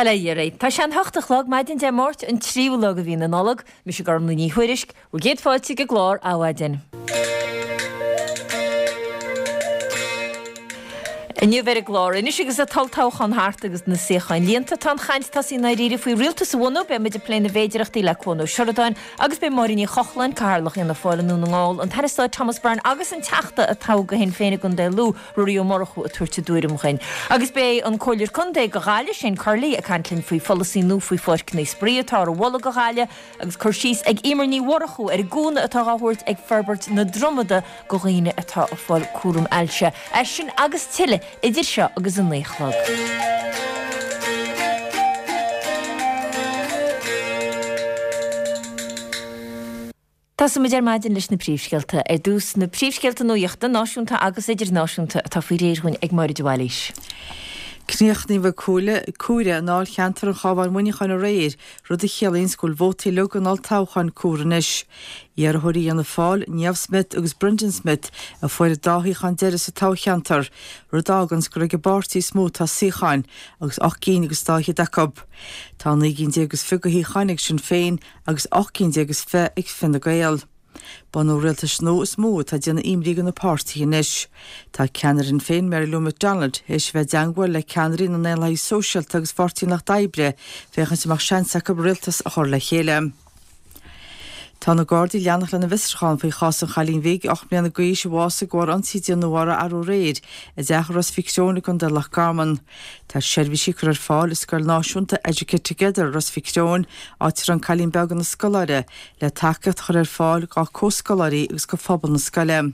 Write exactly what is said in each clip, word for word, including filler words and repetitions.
Bail ó Dhia oraibh. Tá sé an hocht a chlog maidin Dé Máirt an tríú lá de mhí na Nollag. Mise Gormlaith Ní Thuairisg, bhur gcéad fáilte ag an gclár Adhmhaidin. Inniu ar an gclár anois agus an t-olltoghchán thart agus na suíocháin líonta, tá an chaint tosaithe i ndáiríre faoi rialtas a bhunú. Beidh muid ag plé na bhféidearthachtaí le Cuan Ó Seireadáin agus beidh Máire Ní Chochláin, Cathaoirleach Fhianna Fáil i nDún na nGall, an tAire Stáit Thomas Byrne agus an Teachta a toghadh do Shinn Féin i gContae Lú, Ruairí Ó Murchú ag tabhairt a dtuairim dhuinn. Agus beidh an Comhairleoir Contae do Ghaillimh, Shane Curley, ag caint linn faoi pholasaí nua faoi pháirceanna spraoi atá á mholadh do Ghaillimh agus cur síos ag Emer Ní Mhurchú ar an gcúnamh atá á thabhairt ag forbairt na Dromada do dhaoine atá ag fáil cúram ailse. É sin agus tuilleadh idir seo agus a naoi a chlog. Tosóimid ar maidin leis na príomhscéalta. Ar dtús, na príomhscéalta nuachta, náisiúnta agus idirnáisiúnta, atá faoi réir dhúinn ag Máire de Bhailís. Críochnaíodh comhaireamh i ndáilcheantar an Chabháin-Mhuineacháin aréir, rud a chiallaíonns go bhfuil vótaí uilig an olltoghcháin comhairthe anois. Iarrthóirí Fhianna Fáil, Niamh Smyth agus Brendan Smyth, a fuair an dá shuíochán deiridh sa toghcheantar, rud a fháganns gur ag an bpáirtí is mó atá suíocháin, agus ocht gcinn agus dá fhichead acu. Tá naoi gcinn déag is fiche de shuíocháin ag Sinn Féin agus ocht gcinn déag is fiche ag Fine Gael. Bunú rialtais nua is mó atá ag déanamh imní do na páirtithe anois. Tá ceannaire Shinn Féin, Mary Lou McDonald, théis a bheith i dteangmháil le ceannairí na nDaonlathaithe Sóisialta agus Pháirtí an Lucht Oibre féachaint an mbeadh seans acu rialtas a chur le chéile. Tá na Gardaí ag leanacht lena bhfiosrúchán faoi chás an chailín bhig ocht mbliana d'aois a bhásaigh de bharr ionsaí a déanadh uirthi arú aréir i dteach i Ros Mhic Thriúin i gContae Loch Garman. Tá seirbhísí curtha ar fáil i scoil náisiúnta Educate Together Ros Mhic Thriúin, áit a raibh an cailín beag ina scoláire, le tacaíocht a chur ar fáil dá comhscoláirí agus do phobal na scoile.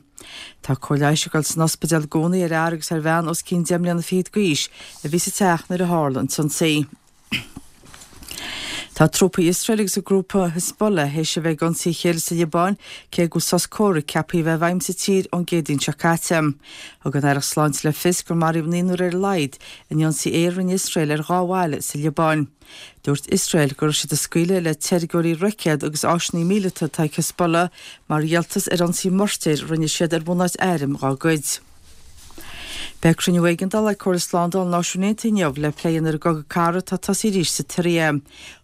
Tá cóir leighis ag dul san ospidéal i gcónaí ar fhear agus ar bhean os cionn deich mbliana fichead d'aois a bhí sa teach nuair a tharla an t-ionsaí. Tá trúpaí Iosrael agus an grúpa Hezbollah théis a bheith ag ionsaí a chéile sa Liobáin cé go bhfuil sos comhraic ceaptha a bheith i bhfeidhm sa tír ón gCéadaoin seo caite. Thug an Aireacht Sláinte le fios gur maraíodh naonúr ar a laghad in ionsaí aeir a rinne Iosrael ar dhá bhaile sa Liobáin. Dúirt Iosrael go raibh siad ag scaoileadh le teilgeoirí roicéad agus áiseanna míleata atá ag Hezbollah mar dhíoltas ar ionsaí moirtéir a rinne siad ar bhunáit airm dá gcuid. Beidh cruinniú éigeandála ag Comhairle Slándála na Náisiún Aontaithe inniu le plé a dhéanamh ar an gcogadh cathartha atá tosaithe arís sa tSiria.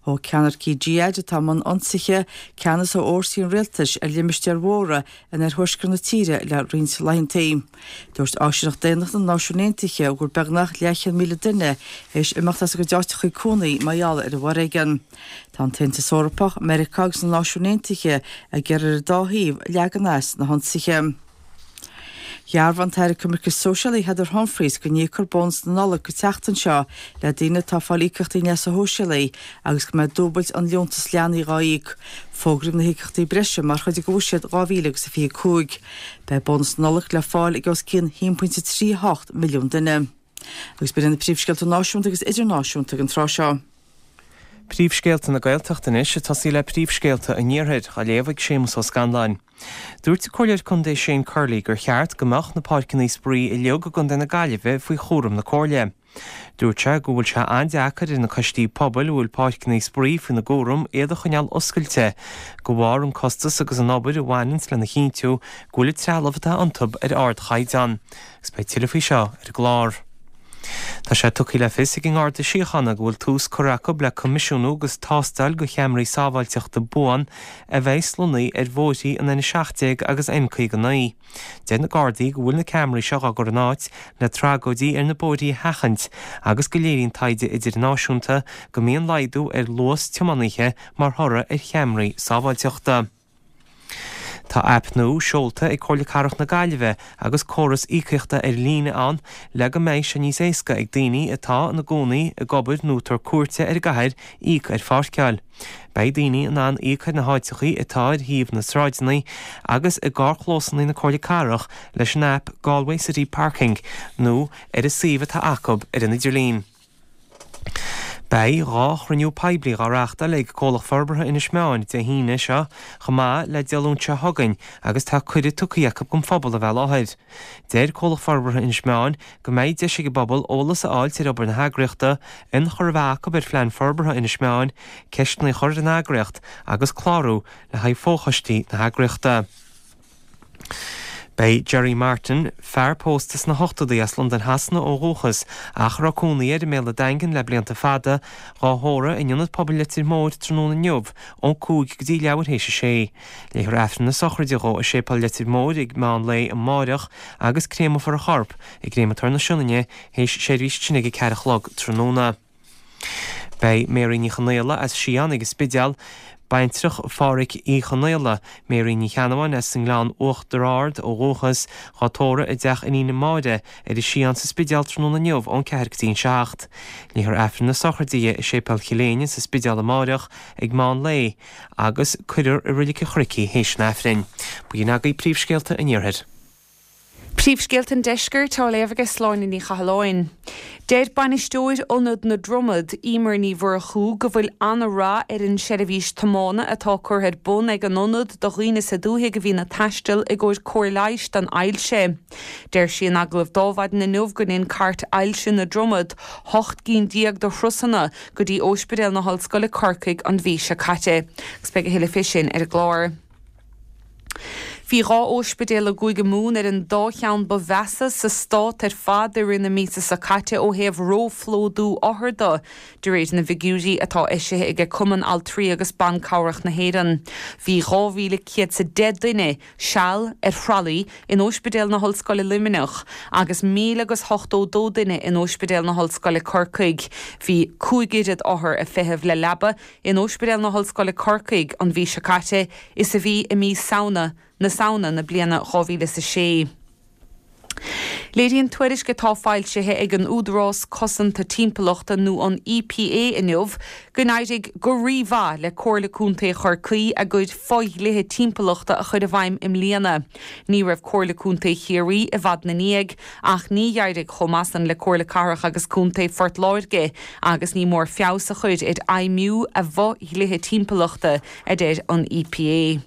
Thóg ceannaircigh Jihad atá i mbun ionsaithe ceannas ó fhórsaí an rialtais ar limistéir mhóra in oirthuaisceart na tíre le roinnt laethanta. Dúirt Áisíneacht Daonnachta na Náisiún Aontaithe go bhfuil beagnach leathchéad míle duine théis imeacht as a gcuid áiteacha cónaí mar gheall ar an bhforéigean. Tá an tAontas Eorpach, Meiriceá agus na Náisiúin Aontaithe ag iarraidh ar an dá thaobh leagan as na hionsaithe. Dhearbhaigh an tAire Coimirce Sóisialaí Heather Humphreys go n-íocfar bónas na Nollag an tseachtain seo le daoine atá ag fáil íocaíochtaí leasa shóisialaigh agus go mbeidh dúbailt an liúntas leanaí dhá íoc. Fógraíodh na híocaíochtaí breise mar chuid de bhuiséad dhá mhíle agus a fiche cúig. Beidh bónas na Nollag le fáil ag os cionn a haon pointe trí hocht milliún duine. Agus b'in iad na príomhscéalta náisiúnta agus idirnáisiúnta ag an tráth seo. Príomhscéalta na Gaeltachta anois, ag tosaí le príomhscéalta an Iarthair, á léamh ag Séamus Ó Scanláin. Dúirt an Comhairleoir Contae Shane Curley gur cheart go mbeadh na páirceanna spraoi uilig i gContae na Gaillimhe faoi chúram na Comhairle. Dúirt sé go bhfuil sé an-deacair ar na coistí pobail a bhfuil páirceanna spraoi faoina gcúram iad a choinneáil oscailte de bharr an costas agus an obair a bhaineanns lena chinntiú go bhfuil an trealamh atá iontu ar ardchaighdeán. Agus beidh tuilleadh faoi seo ar an gclár. Tá sé tugtha le fios ag an nGarda Síochána go bhfuil tús curtha acu le coimisiúnú agus tástáil de cheamaraí sábháilteachta buan a bheas lonnaithe ar bhóithrí an N a seacht déag agus N caoga naoi. Deir na Gardaí go bhfuil na ceamaraí seo á gcur in áit le tragóidí ar na bóithrí a sheachaint agus go léiríonn taighde idirnáisiúnta go mbíonn laghdú ar luas tiománaithe mar thoradh ar cheamaraí sábháilteachta. Tá aip nua seolta ag Comhairle Cathrach na Gaillimhe agus córas íocaíochta ar líne ann le go mbeidh sé níos éasca ag daoine atá ina gcónaí, ag obair nó ag tabhairt cuairte ar an gcathair íoc ar pháirceáil. Beidh daoine in ann íoc ar na háiteachaí atá ar thaobh na sráideanna agus i gcarrchlósanna na Comhairle Cathrach leis an aip Galway City Parking nó ar an suíomh atá acu ar an idirlíon. Beidh dhá chruinniú poiblí dhá reáchtáil ag Comhlacht Forbartha Inis Meáin Dé hAoine seo chomh maith le Dé Luain seo chugainn agus tá cuireadh tugtha acu don phobal a bheith i láthair. Deir Comhlacht Forbartha Inis Meáin go mbeidh deis ag an bpobal eolas a fháilt ar obair na heagraíochta, ionchur a bheith acu ar phlean forbartha Inis Meáin, ceisteanna a chur ar an eagraíocht agus clárú le haghaidh fochoistí na heagraíochta. Beidh Jerry Martin, fear pósta sna hochtóidí as Londain Shasana ó dhúchas, ach a raibh cónaí air i mBéal an Daingin le blianta fada, dhá thórramh in Ionad Pobail Leitir Móir tráthnóna inniu ón cúig go dtí leathuair théis a sé. Léifear Aifreann na sochraide dhó i Séipéal Leitir Móir ag meán lae amáireach agus créamfar a chorp i gCréamatóir na Sionainne théis seirbhís tine ag a ceathair a chlog tráthnóna. Beidh Mary Ní Chonaola as Sián ag an Spidéal, baintreach Phádhraic Uí Chonaola, Mary Ní Cheannabháin as an nGleann Uachtar Ard ó dhúchas, dhá tórramh i dteach a iníne Máire ar an Sián sa Spidéal tráthnóna inniu ón ceathair go dtí an seacht. Léifear Aifreann na sochraide di i Séipéal Chill Éinne sa Spidéal amáireach ag meán lae agus cuirfear i Reilig an Chnoic í théis an Aifrinn. B'in agaibh príomhscéalta an Iarthair. Príomhscéalta an Deiscirt á léamh ag Sláine Ní Chathalláin. Deir bainisteoir Ionad na Dromad, Emer Ní Mhurchú, go bhfuil an-rath ar an seirbhís tiomána atá curtha ar bun ag an ionad do dhaoine sa dúthaigh a bhíonn ag taisteal i gcomhair cóir leighis don ailse. Deir sí in agallamh d'Adhmhaidin inniu go ndein Cairt Ailse na Dromad hocht gcinn déag de thurasanna go dtí Ospidéal na hOllscoile Corcaigh an mhí seo caite. Agus beidh a thuilleadh fé sin ar an gclár. Bhí dhá ospidéal i gCúige Mumhan ar an dá cheann ba mheasa sa stát ar fad i rith na míosa seo caite ó thaobh róphlódú othar de, de réir na bhfigiúirí atá eisithe ag Cumann Altraí agus Ban Cabhrach na hÉireann. Bhí dhá mhíle céad 's a deich duine seal ar thralaí in Ospidéal na hOllscoile Luimneach agus míle agus hochtó dó duine in Ospidéal na hOllscoile Corcaigh. Bhí cúig oiread othar ag feitheamh le leaba in Ospidéal na hOllscoile Corcaigh an mhí seo caite is a bhí i mí Samhna na Samhna na bliana dhá mhíle is a sé. Léiríonn tuairisc atá foilsithe ag an Údarás Cosanta Timpeallachta nó an EPA inniu go n-éirigh go rímhaith le Comhairle Contae Chorcaí a gcuid fodhlíthe timpeallachta a chur i bhfeidhm i mbliana. Ní raibh Comhairle Contae Chiarraí i bhfad ina ndiaidh ach ní d'éirigh chomh maith san le Comhairle Cathrach agus Contae Phort Láirge agus ní mór feabhas a chur ar fheidhmiú a bhfodhlíthe timpeallachta, a deir an EPA.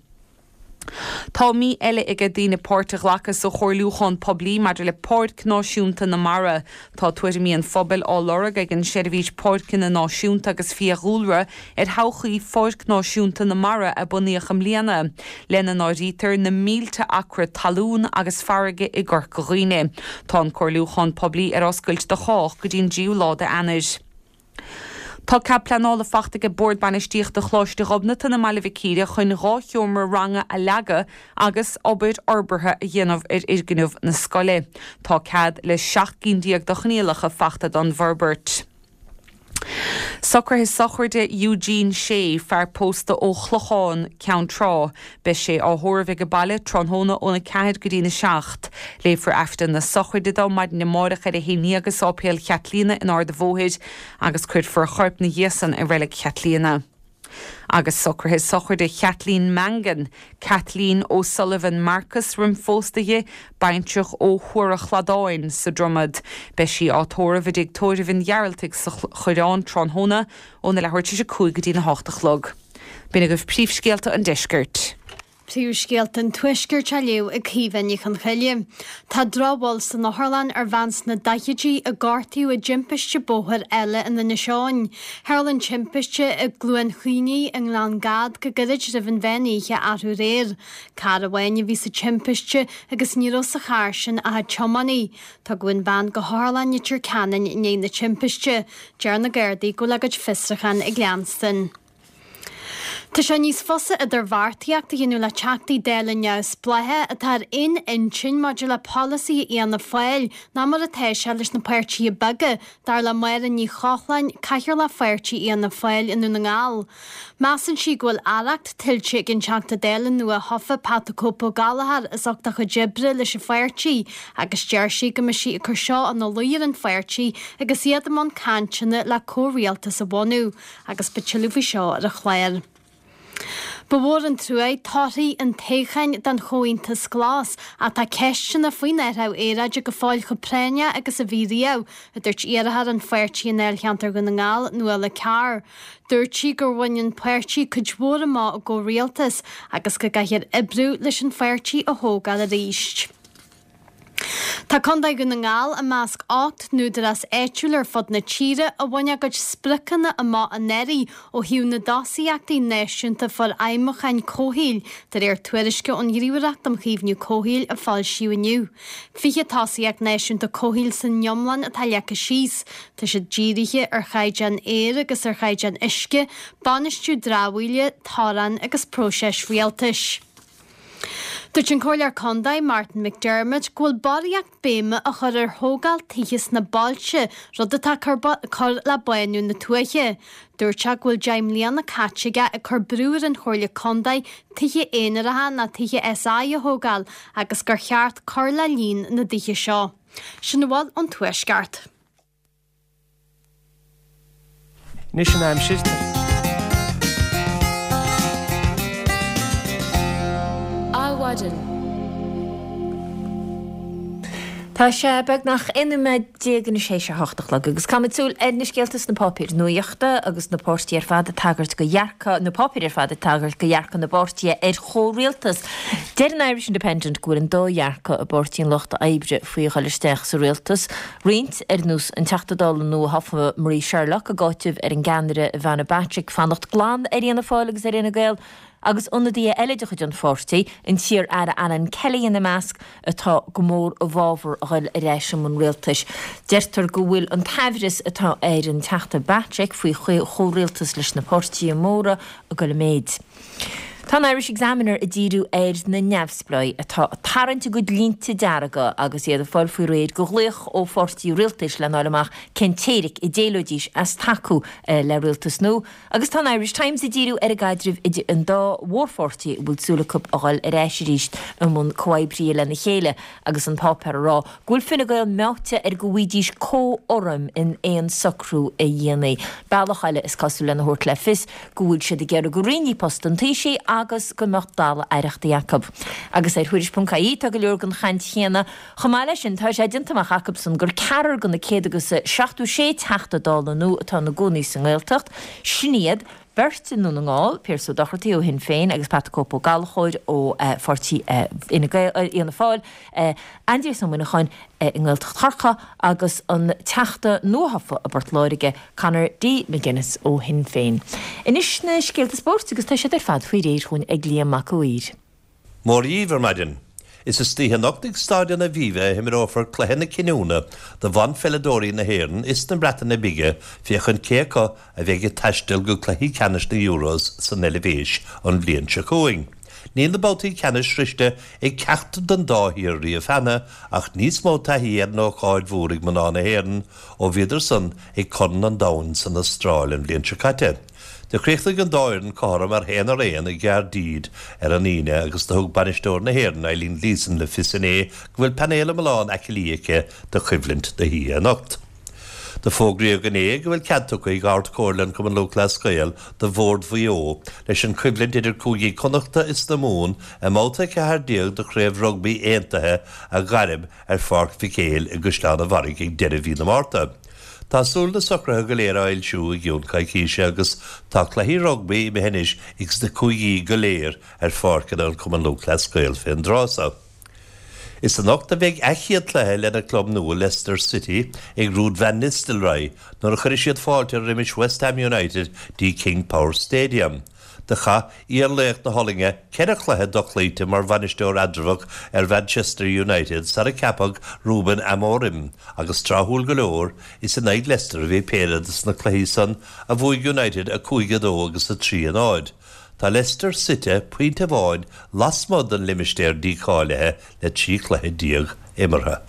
Tá mí eile ag daoine páirt a ghlacadh sa chomhairliúchán poiblí maidir le Páirc Náisiúnta na Mara. Tá tuairimí an phobail á lorg ag an Seirbhís Páirceanna Náisiúnta agus Fiadhúlra ar thodhchaí Pháirc Náisiúnta na Mara a bunaíodh i mbliana, lena n-áirítear na mílte acra talún agus farraige i gCorca Dhuibhne. Tá an comhairliúchán poiblí ar oscailt do chách go dtí an tríú lá d'Eanáir. Tá cead pleanála faighte ag Bord Bainistíochta Choláiste Ghobnatan i mBaile Mhic Íre chun dhá sheomra ranga a leagadh agus obair fhorbartha a dhéanamh ar fhoirgneamh na scoile. Tá cead le seacht gcinn déag de choinníollacha faighte don bhforbairt. Socruithe sochraide Eugene Shea, fear pósta ó Chlochán, Ceann Trá. Beidh sé á thórramh ag an baile tráthnóna óna ceathair go dtína seacht. Léifear Aifreann na sochraide dó maidin amárach ar a haon déag i Sáipéal Chaitlíona in Ard an Bhóthair agus cuirfear a chorp ina dhiaidh san i Reilig Chaitlíona. Agus socruithe sochraide Kathleen Mangan, Kathleen O'Sullivan Marcus roimh phósta di, baintreach ó Thuar an Chladáin sa Dromad. Beidh sí á tórramh i dtigh tórraimh an Ghearaltaigh sa Choireán tráthnóna óna leathuair tar éis a cúig go dtína hocht a chlog. B'in agaibh príomhscéalta an deiscirt. Príomhscéalta an Tuaiscirt á léamh ag Caoimhe Ní Chonchoille. Tá drochbhail san otharlann ar bhean sna daichidí a gortaíodh i dtimpiste bóthair eile in Inis Eoghain. Tharla an timpiste i gCluain Chaonaigh i nGleann Gad go gairid roimh an mheán oíche arú aréir. Carr amháin a bhí sa timpiste agus ní raibh sa charr sin ach an tiománaí. Tugadh an bhean go hOtharlann Leitir Ceanainn i ndiaidh na timpiste. Deir na Gardaí go bhfuil a gcuid fiosrúchán ag leanstan. Tá sé níos fusa idirbheartaíocht a dhéanamh le Teachtaí Dála neamhspleácha atá ar aon intinn maidir le polasaithe Fhianna Fáil ná mar atá sé leis na páirtithe beaga, dar le Máire Ní Chochláin, Cathaoirleach Pháirtí Fhianna Fáil i nDún na nGall. Measann sí go bhfuil arracht tuillte ag an Teachta Dála nua-thofa Pat the Cope Ó Gallchóir as ucht a chuid oibre leis an pháirtí agus deir sí go mbeidh sí ag cur seo ina luí ar an pháirtí agus iad i mbun cainteanna le comhrialtas a bhunú agus beidh tuilleadh faoi seo ar an chlár. Ba mhór an trua torthaí an toghcháin don Chomhaontas Glas ach tá ceisteanna faoin athrú aeráide go fóill chomh práinneach agus a bhí riamh, a dúirt iarrthóir an pháirtí i ndáilcheantar Dhún na nGall, Nuala Carr. Dúirt sí gur bhain an páirtí cuid mhór amach i gcomhrialtas agus go gcaithfear oibriú leis an pháirtí a thógáil arís. Tá Contae Dhún na nGall i measc ocht n-údarás áitiúil ar fud na tíre a bhain a gcuid spriocanna amach anuraidh ó thaobh na dtosaíochtaí náisiúnta forfheidhmiúcháin comhshaoil, de réir tuairisce ón Ghníomhaireacht um Chaomhnú Comhshaoil a foilsíodh inniu. Fiche tosaíocht náisiúnta comhshaoil san iomlán atá leagtha síos. Tá siad dírithe ar chaighdeán aeir agus ar chaighdeán uisce, bainistiú dramhaíola, torann agus próiseas rialtais. Dúirt an Comhairleoir Contae Martin McDermott go bhfuil barraíocht béime á chur ar thógáil tithe sna bailte, rud atá ag cur le bánú na tuaithe. Dúirt sé go bhfuil deich mbliana caite aige ag cur brú ar an Chomhairle Contae tithe aonaracha nó tithe SI a thógáil agus gur cheart cur le líon na dtithe seo. Sin a bhfuil ón Tuaisceart. Anois an aimsir. Adhmhaidin. Tá sé beagnach aon nóiméad déag anois théis a hocht a chlog agus caithfimid súil ar na scéalta sna páipéir nuachta agus na páirtithe ar fad ag tagairt go dhearcadh, na páipéir ar fad ag tagairt go dhearcadh na bpáirtithe ar chomhrialtas. Deir an Irish Independent go bhfuil an dá dhearcadh i bPáirtí an Lucht Oibre faoi dhul isteach sa rialtas. Roinnt, ar nós an Teachta Dála nuathofa Marie Sherlock, ag áiteamh ar an gceannaire Ivana Bacik fanacht glan ar Fhianna Fáil agus ar Fhine Gael, agus ionadaithe eile de chuid an pháirtí, an t-iar-aire Alan Kelly ina measc, atá go mór i bhfabhar a dhul ar ais i mbun rialtais. Deirtear go bhfuil an t-aimhreas atá ar an Teachta Bacik faoi chomhrialtas leis na páirtithe móra ag dul i méid. Tá an Irish Examiner ag díriú ar na neamhspleáigh atá ag tarraingt a gcuid línte dearga agus iad ag fáil faoi réir do ghlaoch ó pháirtí rialtais lena fháil amach cén teoiric a d'éileoidís as tacú le rialtas nua. Agus tá an Irish Times ag díriú ar an gcaidreamh idir an dá mhórpháirtí a bhfuil súil acu a dhul ar ais arís i mbun comhoibrithe lena chéile agus an páipéar ag rá go bhfuil Fine Gael meáite ar go bhfaighidís comhurraim in aon socrú a dhéanfaí. Bealach eile is cosúil lena thabhairt le fios go bhfuil siad ag iarraidh go roinnfí post an Taoisigh agus go mbeadh dalladh aireachtaí acu. Agus ar Thuairisc ponc ie tá go leor den chaint chéanna. Chomh maith leis sin, tá sé déanta amach acusan gur ceathrar de na céad agus seachtó sé Teachta Dála nua atá ina gcónaí sa nGaeltacht, sin iad, beirt i nDún na nGall, Pearse Ó Dochartaigh ó Shinn Féin agus Pat the Cope Ó Gallchóir ó pháirtí Fhine Gael, Fhianna Fáil, Aindrias Ó Muineacháin i nGaeltacht Chorcaí agus an Teachta nuathofa i bPort Láirge, Conor D. McGuinness ó Shinn Féin. Anois na scéalta spóirt agus tá siad ar fad faoi réir chugainn ag Liam Mac a' Mhaoir. Mora dhaoibh ar maidin. Is istoíche anocht ag Staid an Aviva a himreofar cluiche na cinniúna do bhanpheileadóirí na hÉireann is na Breataine Bige féachaint cé acu a bheidh ag taisteal go cluichí ceannais na Euros san Eilvéis an bhliain seo chugainn. Níl na babhtaí ceannais sroichte ag ceachtar den dá thír riamh cheana ach níos mó taithí ar an ócáid mhór ag mná na hÉireann ó bhíodar san ag Corn an Domhain san Astráil an bhliain seo caite. Do chríochnaigh an dá fhoireann cothrom ar haon ar aon i gCaerdydd ar an Aoine agus do thug bainisteoir na hÉireann, Eileen Gleeson, le fios inné go bhfuil painéal iomlán aicillí aici do choimhlint na hoíche anocht. Do fógraíodh inné go bhfuil cead tugtha ag Ard-Chomhairle an Chumann Lúthchleas Gael do Bhord Mhaigh Eo leis an choimhlint idir Cúigí Connachta is na Mumhan i mbabhta a ceathair déag de Chraobh Rugbaí Aontaithe a ghairm ar Pháirc Mhic Éil i gCaisleán an Bharraigh ag deireadh mhí na Márta. Tá súil na socruithe go léir á fhoilsiú i gcionn coicíse agus tá cluichí rugbaí imithe anois ag sna cúigí go léir ar pháirceanna an Chumann Lúthchleas Gael fén dtráth so. Is anocht a bheidh a chéad chluiche lena club nua Leicester City ag Ruud van Nistelrooy nuair a chuirfidh siad fáilte roimis West Ham United dtí King Power Stadium. Do chaith iar-laoch na hOllainne ceithre chluiche dochloíte mar bhainisteoir eatramhach ar Mhanchester United sara ceapadh Ruben Amorim agus tráthúil go leor, is in aghaidh Leicester a bhí péire de sna cluichí san a bhuaigh United a cúig a dó agus a trí a náid. Tá Leicester suite pointe amháin lasmuigh den limistéar dícháilithe le trí chluiche déag imeartha.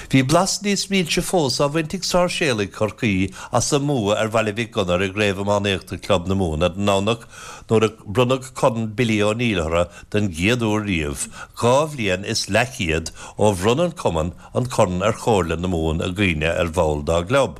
Bhí blas níos milse fós á bhaint ag Sáirséalaigh Chorcaí as a mbua ar Bhaile Mhic Gonair i gCraobh Iománaíochta Club na Mumhan ar an nDomhnach nuair a bronnadh Corn Billy O'Neill orthu den gcéad uair riamh, dhá bhliain is leathchéad ó bhronn an cumann an corn ar Chomhairle na Mumhan i gcuimhne ar bhall dá gclub.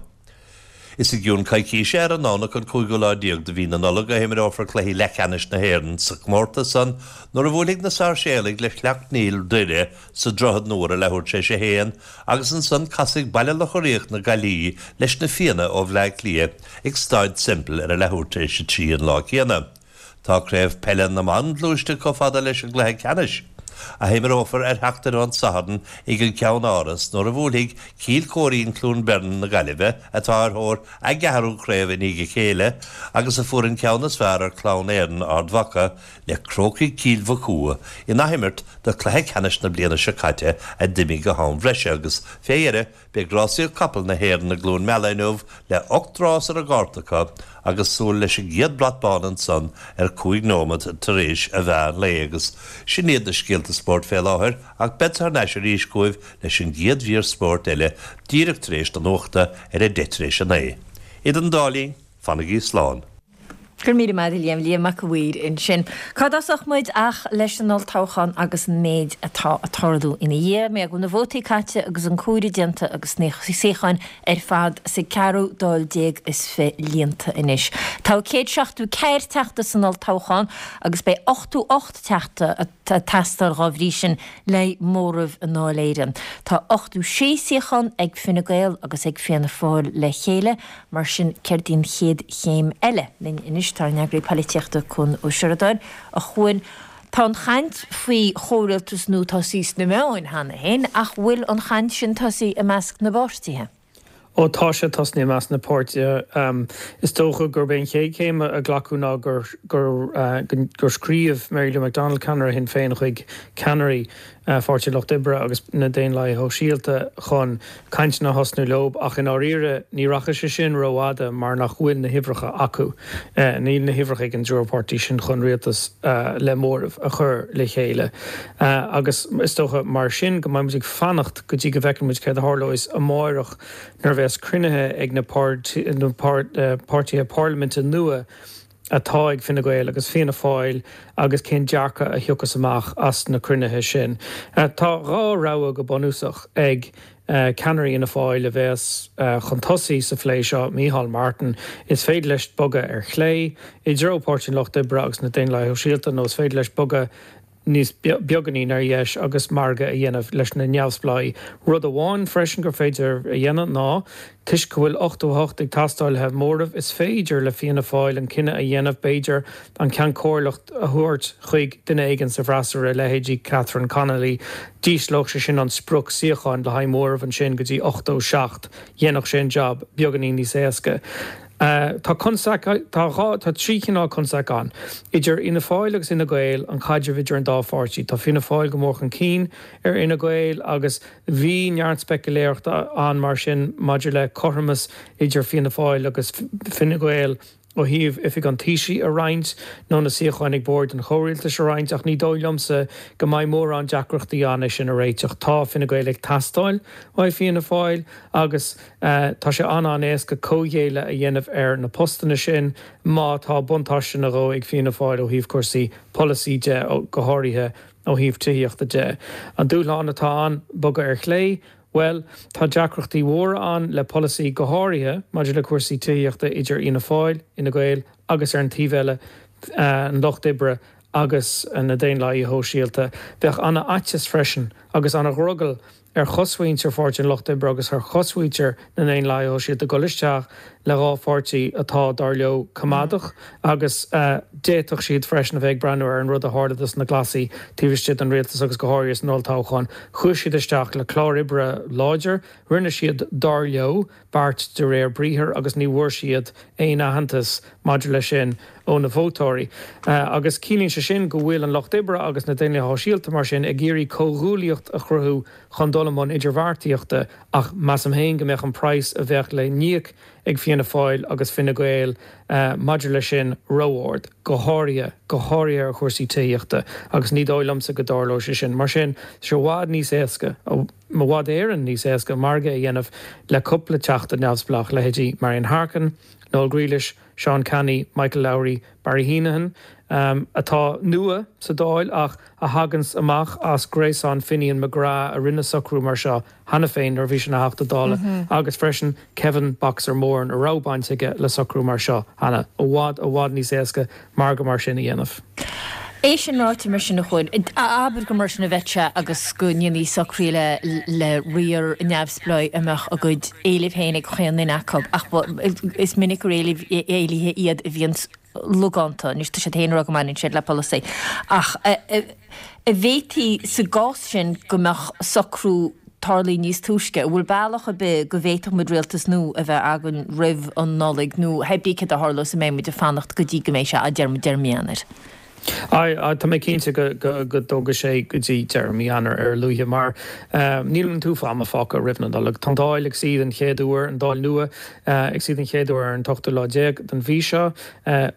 Is i gcionn coicíse ar an nDomhnach an cúigiú lá déag de mhí na Nollag a himreofar cluichí leathcheannais na hÉireann sa chomórtas san nuair a bhuailfidh na Sáirséalaigh le Sleacht Néill Doire sa Droichead Nua ar a leathuair tar éis a haon agus ansan casfaidh Baile Locha Riach na Gaillimhe leis na Fianna ó Bhleá Cliath ag Staid Semple ar a leathuair tar éis a trí an lá céanna. Tá Craobh Peile na mBan gluaiste chomh fada leis an gcluiche ceannais. a himreofar ar theacht an Satharn ag an Cheannáras nuair a bhuailfidh Cill Choirín Cluain Bheirn na Gaillimhe atá ar thóir a gceathrú craobh i ndiaidh a chéile agus a fuair an ceann is fearr ar Clann Éireann Ard Mhacha le Crócaigh Chill Mhochua in athimirt de chluiche ceannais na bliana seo caite a d'imigh go ham breise agus fé dheireadh beidh rásaíocht capall na hÉireann i gCluain Meala inniu le ocht rás ar an gcárta acu agus súil leis an gcéad brat bán ansan ar cúig nóiméad tar éis an mheán lae agus sin iad na scéalta spóirt fé láthair ach beidh thar n-ais arís chugaibh leis an gcéad mhír spóirt eile díreach tar éis na nuachta ar a deich tar éis a naoi. Idir an dá linn, fanaigí slán. Gur míle maith Liam Liam Mac a' Mhaoir ansin. Cá dtosódh muid ach leis an olltoghchán agus an méid atá ag tarlú ina dhiaidh, mé go na vótaí caite agus an comhaireamh déanta agus na suíocháin ar fad sa ceathrú Dáil déag is fiche líonta anois. Tá céad seachtó ceathair teachta san olltoghchán agus beidh ochtó ocht teachta ag teastáil dá bhrí sin le móramh i nDáil Éireann. Tá ochtó sé suíochán ag Fine Gael agus ag Fianna Fáil le chéile, mar sin céard í an chéad chéim eile linn anois tá an eagraí polaitíochta Cuan Ó Seireadáin a Chuain Tá an chaint faoi chomhrialtas nua tosaithe sna meáin cheana féin ach bhfuil an chaint sin tosaithe i measc na bpáirtithe. Ó tá sé tosaithe i measc na bpáirtithe is dócha gurb é an chéad chéim a glacadh ná gur gur gur scríobh Mary Lou McDonald ceannaire Shinn Féin chuig ceannairí Pháirtí Lucht Oibre agus na Daonlathaithe Shóisialta chun cainteanna a thosnú leo ach i ndáiríre ní rachaidh sé sin rófhada mar nach bhfuil na huimhreacha acu. Níl na huimhreacha ag an dtriúr páirtí sin chun rialtas le móramh a chur le chéile. Agus is dócha mar sin go mbeidh muid ag fanacht go dtí go bhfeicfidh muid céard a tharlós amárach nuair a bheas cruinnithe ag na páirtithe parlaiminte nua atá ag Fine Gael agus Fianna Fáil agus cén dearcadh a thiocfas amach as na cruinnithe sin. Tá dhá rogha go bunúsach ag ceannairí Fhianna Fáil a bheas chun tosaigh sa phlé seo, Micheál Martin, is féidir leis bogadh ar chlé i dtreo Páirtí an Lucht Oibre agus na Daonlathaithe Shóisialta nó is féidir leis bogadh níos beagáinín ar dheis agus margadh a dhéanamh leis na neamhspleáigh. Rud amháin freisin gur féidir a dhéanamh ná, toisc go bhfuil ochtó a hocht ag teastáil le móramh, is féidir le Fianna Fáil an cinneadh a dhéanamh, b'fhéidir, an Ceann Comhairleacht a thabhairt chuig duine éigin sa bhfreasúra, leithéidí Catherine Connolly. D'ísleodh sé sin an sprioc suíocháin le haghaidh móramh ansin go dtí ochtó seacht. Dhéanfadh sé an jab beagáinín níos éasca. Tá constaic, tá dhá, tá trí chineál constaic ann. Idir Fhianna Fáil agus Fhine Gael, an caidreamh idir an dá pháirtí. Tá Fianna Fáil go mór chun cinn ar Fhine Gael agus bhí neart speicealéireachta ann mar sin maidir le cothromas idir Fianna Fáil agus Fine Gael ó thaobh oifig an Taoisigh a roinnt nó na suíocháin ag bord an chomhrialtais a roinnt ach ní dóigh liomsa go mbeidh mórán deacrachtaí ann é sin a réiteach. Tá Fine Gael ag teastáil uaidh Fianna Fáil agus tá sé an-an-éasca comhghéilleadh a dhéanamh ar na postanna sin má tá buntáiste nó dhó ag Fianna Fáil ó thaobh cúrsaí polasaí de, go háirithe ó thaobh tithíochta de. An dúshlán atá ann, bogadh ar chlé, bhuel, tá deacrachtaí mhóra ann le polasaí, go háirithe maidir le cúrsaí tithíochta idir Fhianna Fáil, Fhine Gael agus ar an taobh eile an Lucht Oibre agus na Daonlathaithe Shóisialta. Bheadh an-fhaitíos freisin agus an-dhrogall ar chosmhuintir Pháirtí an Lucht Oibre agus ar chosmhuintir na nDaonlathaithe Shóisialta dul isteach le dhá pháirtí atá, dar leo, coimeádach agus d'fhéadfadh siad freisin a bheith ag breathnú ar an rud a tharla dos na Glasaigh taobh istigh den rialtas agus go háirithe san olltoghchán. Chuaigh siad isteach le clár oibre láidir, rinne siad, dar leo, beart de réir briathair agus ní bhfuair siad aon aitheantas maidir leis sin ó na vótóirí. Agus ciallaíonn sé sin go bhfuil an Lucht Oibre agus na Daonlathaithe Shóisialta mar sin ag iarraidh comhghuaillíocht a chruthú chun dul i mbun idirbheartaíochta ach measaim féin go mbeadh an praghas a bheadh le n-íoc ag Fianna Fáil agus Fine Gael maidir leis sin ró-ard, go háirithe, go háirithe ar chúrsaí tithíochta agus ní dóigh liomsa go dtarlóidh sé sin. Mar sin, tá sé i bhfad níos éasca, i bhfad Éireann níos éasca margadh a dhéanamh le cúpla teachta neamhspleách, leithéidí Marian Harkin, Noel Grealish, Seán Canney, Michael Lowry, Barry Heneghan, atá nua sa Dáil ach a thaganns amach as gréasán Finian McGrath a rinne socrú mar seo cheana féin nuair a bhí sé ina Theachta Dála agus freisin Kevin Boxer Moran a raibh baint aige le socrú mar seo cheana. I bhfad, i bhfad níos éasca margadh mar sin a dhéanamh. É sin ráite mar sin a Chuain, abair gur mar sin a bheadh sé agus go ndéanfaí socruithe le le riar neamhspleáigh a mbeadh a gcuid éilimh féin ag chaon duine acu ach is minic gur éilimh éilithe iad a bhíonn logánta, anois tá siad féin ag rá go mbaineann siad le polasaí, ach an bhféadfaí sa gcás sin go mbeadh socrú tarlaithe níos túisce? An bhfuil bealach ar bith go bhféadfadh muid rialtas nua a bheith againn roimh an Nollaig nó hé bí céard a tharlós an mbeidh muid ag fanacht go dtí go mbeidh sé, a deir muid, deireadh mí Eanáir? Aye, tá mé cinnte go dtógfaidh sé go dtí deireadh mí Eanáir ar a luaithe mar níl an t-uafás ama fágtha roimh na Nollag. Tá an Dáil ag suí den chéad uair, an Dáil nua ag suí den chéad uair ar an t-ochtú lá déag den mhí seo.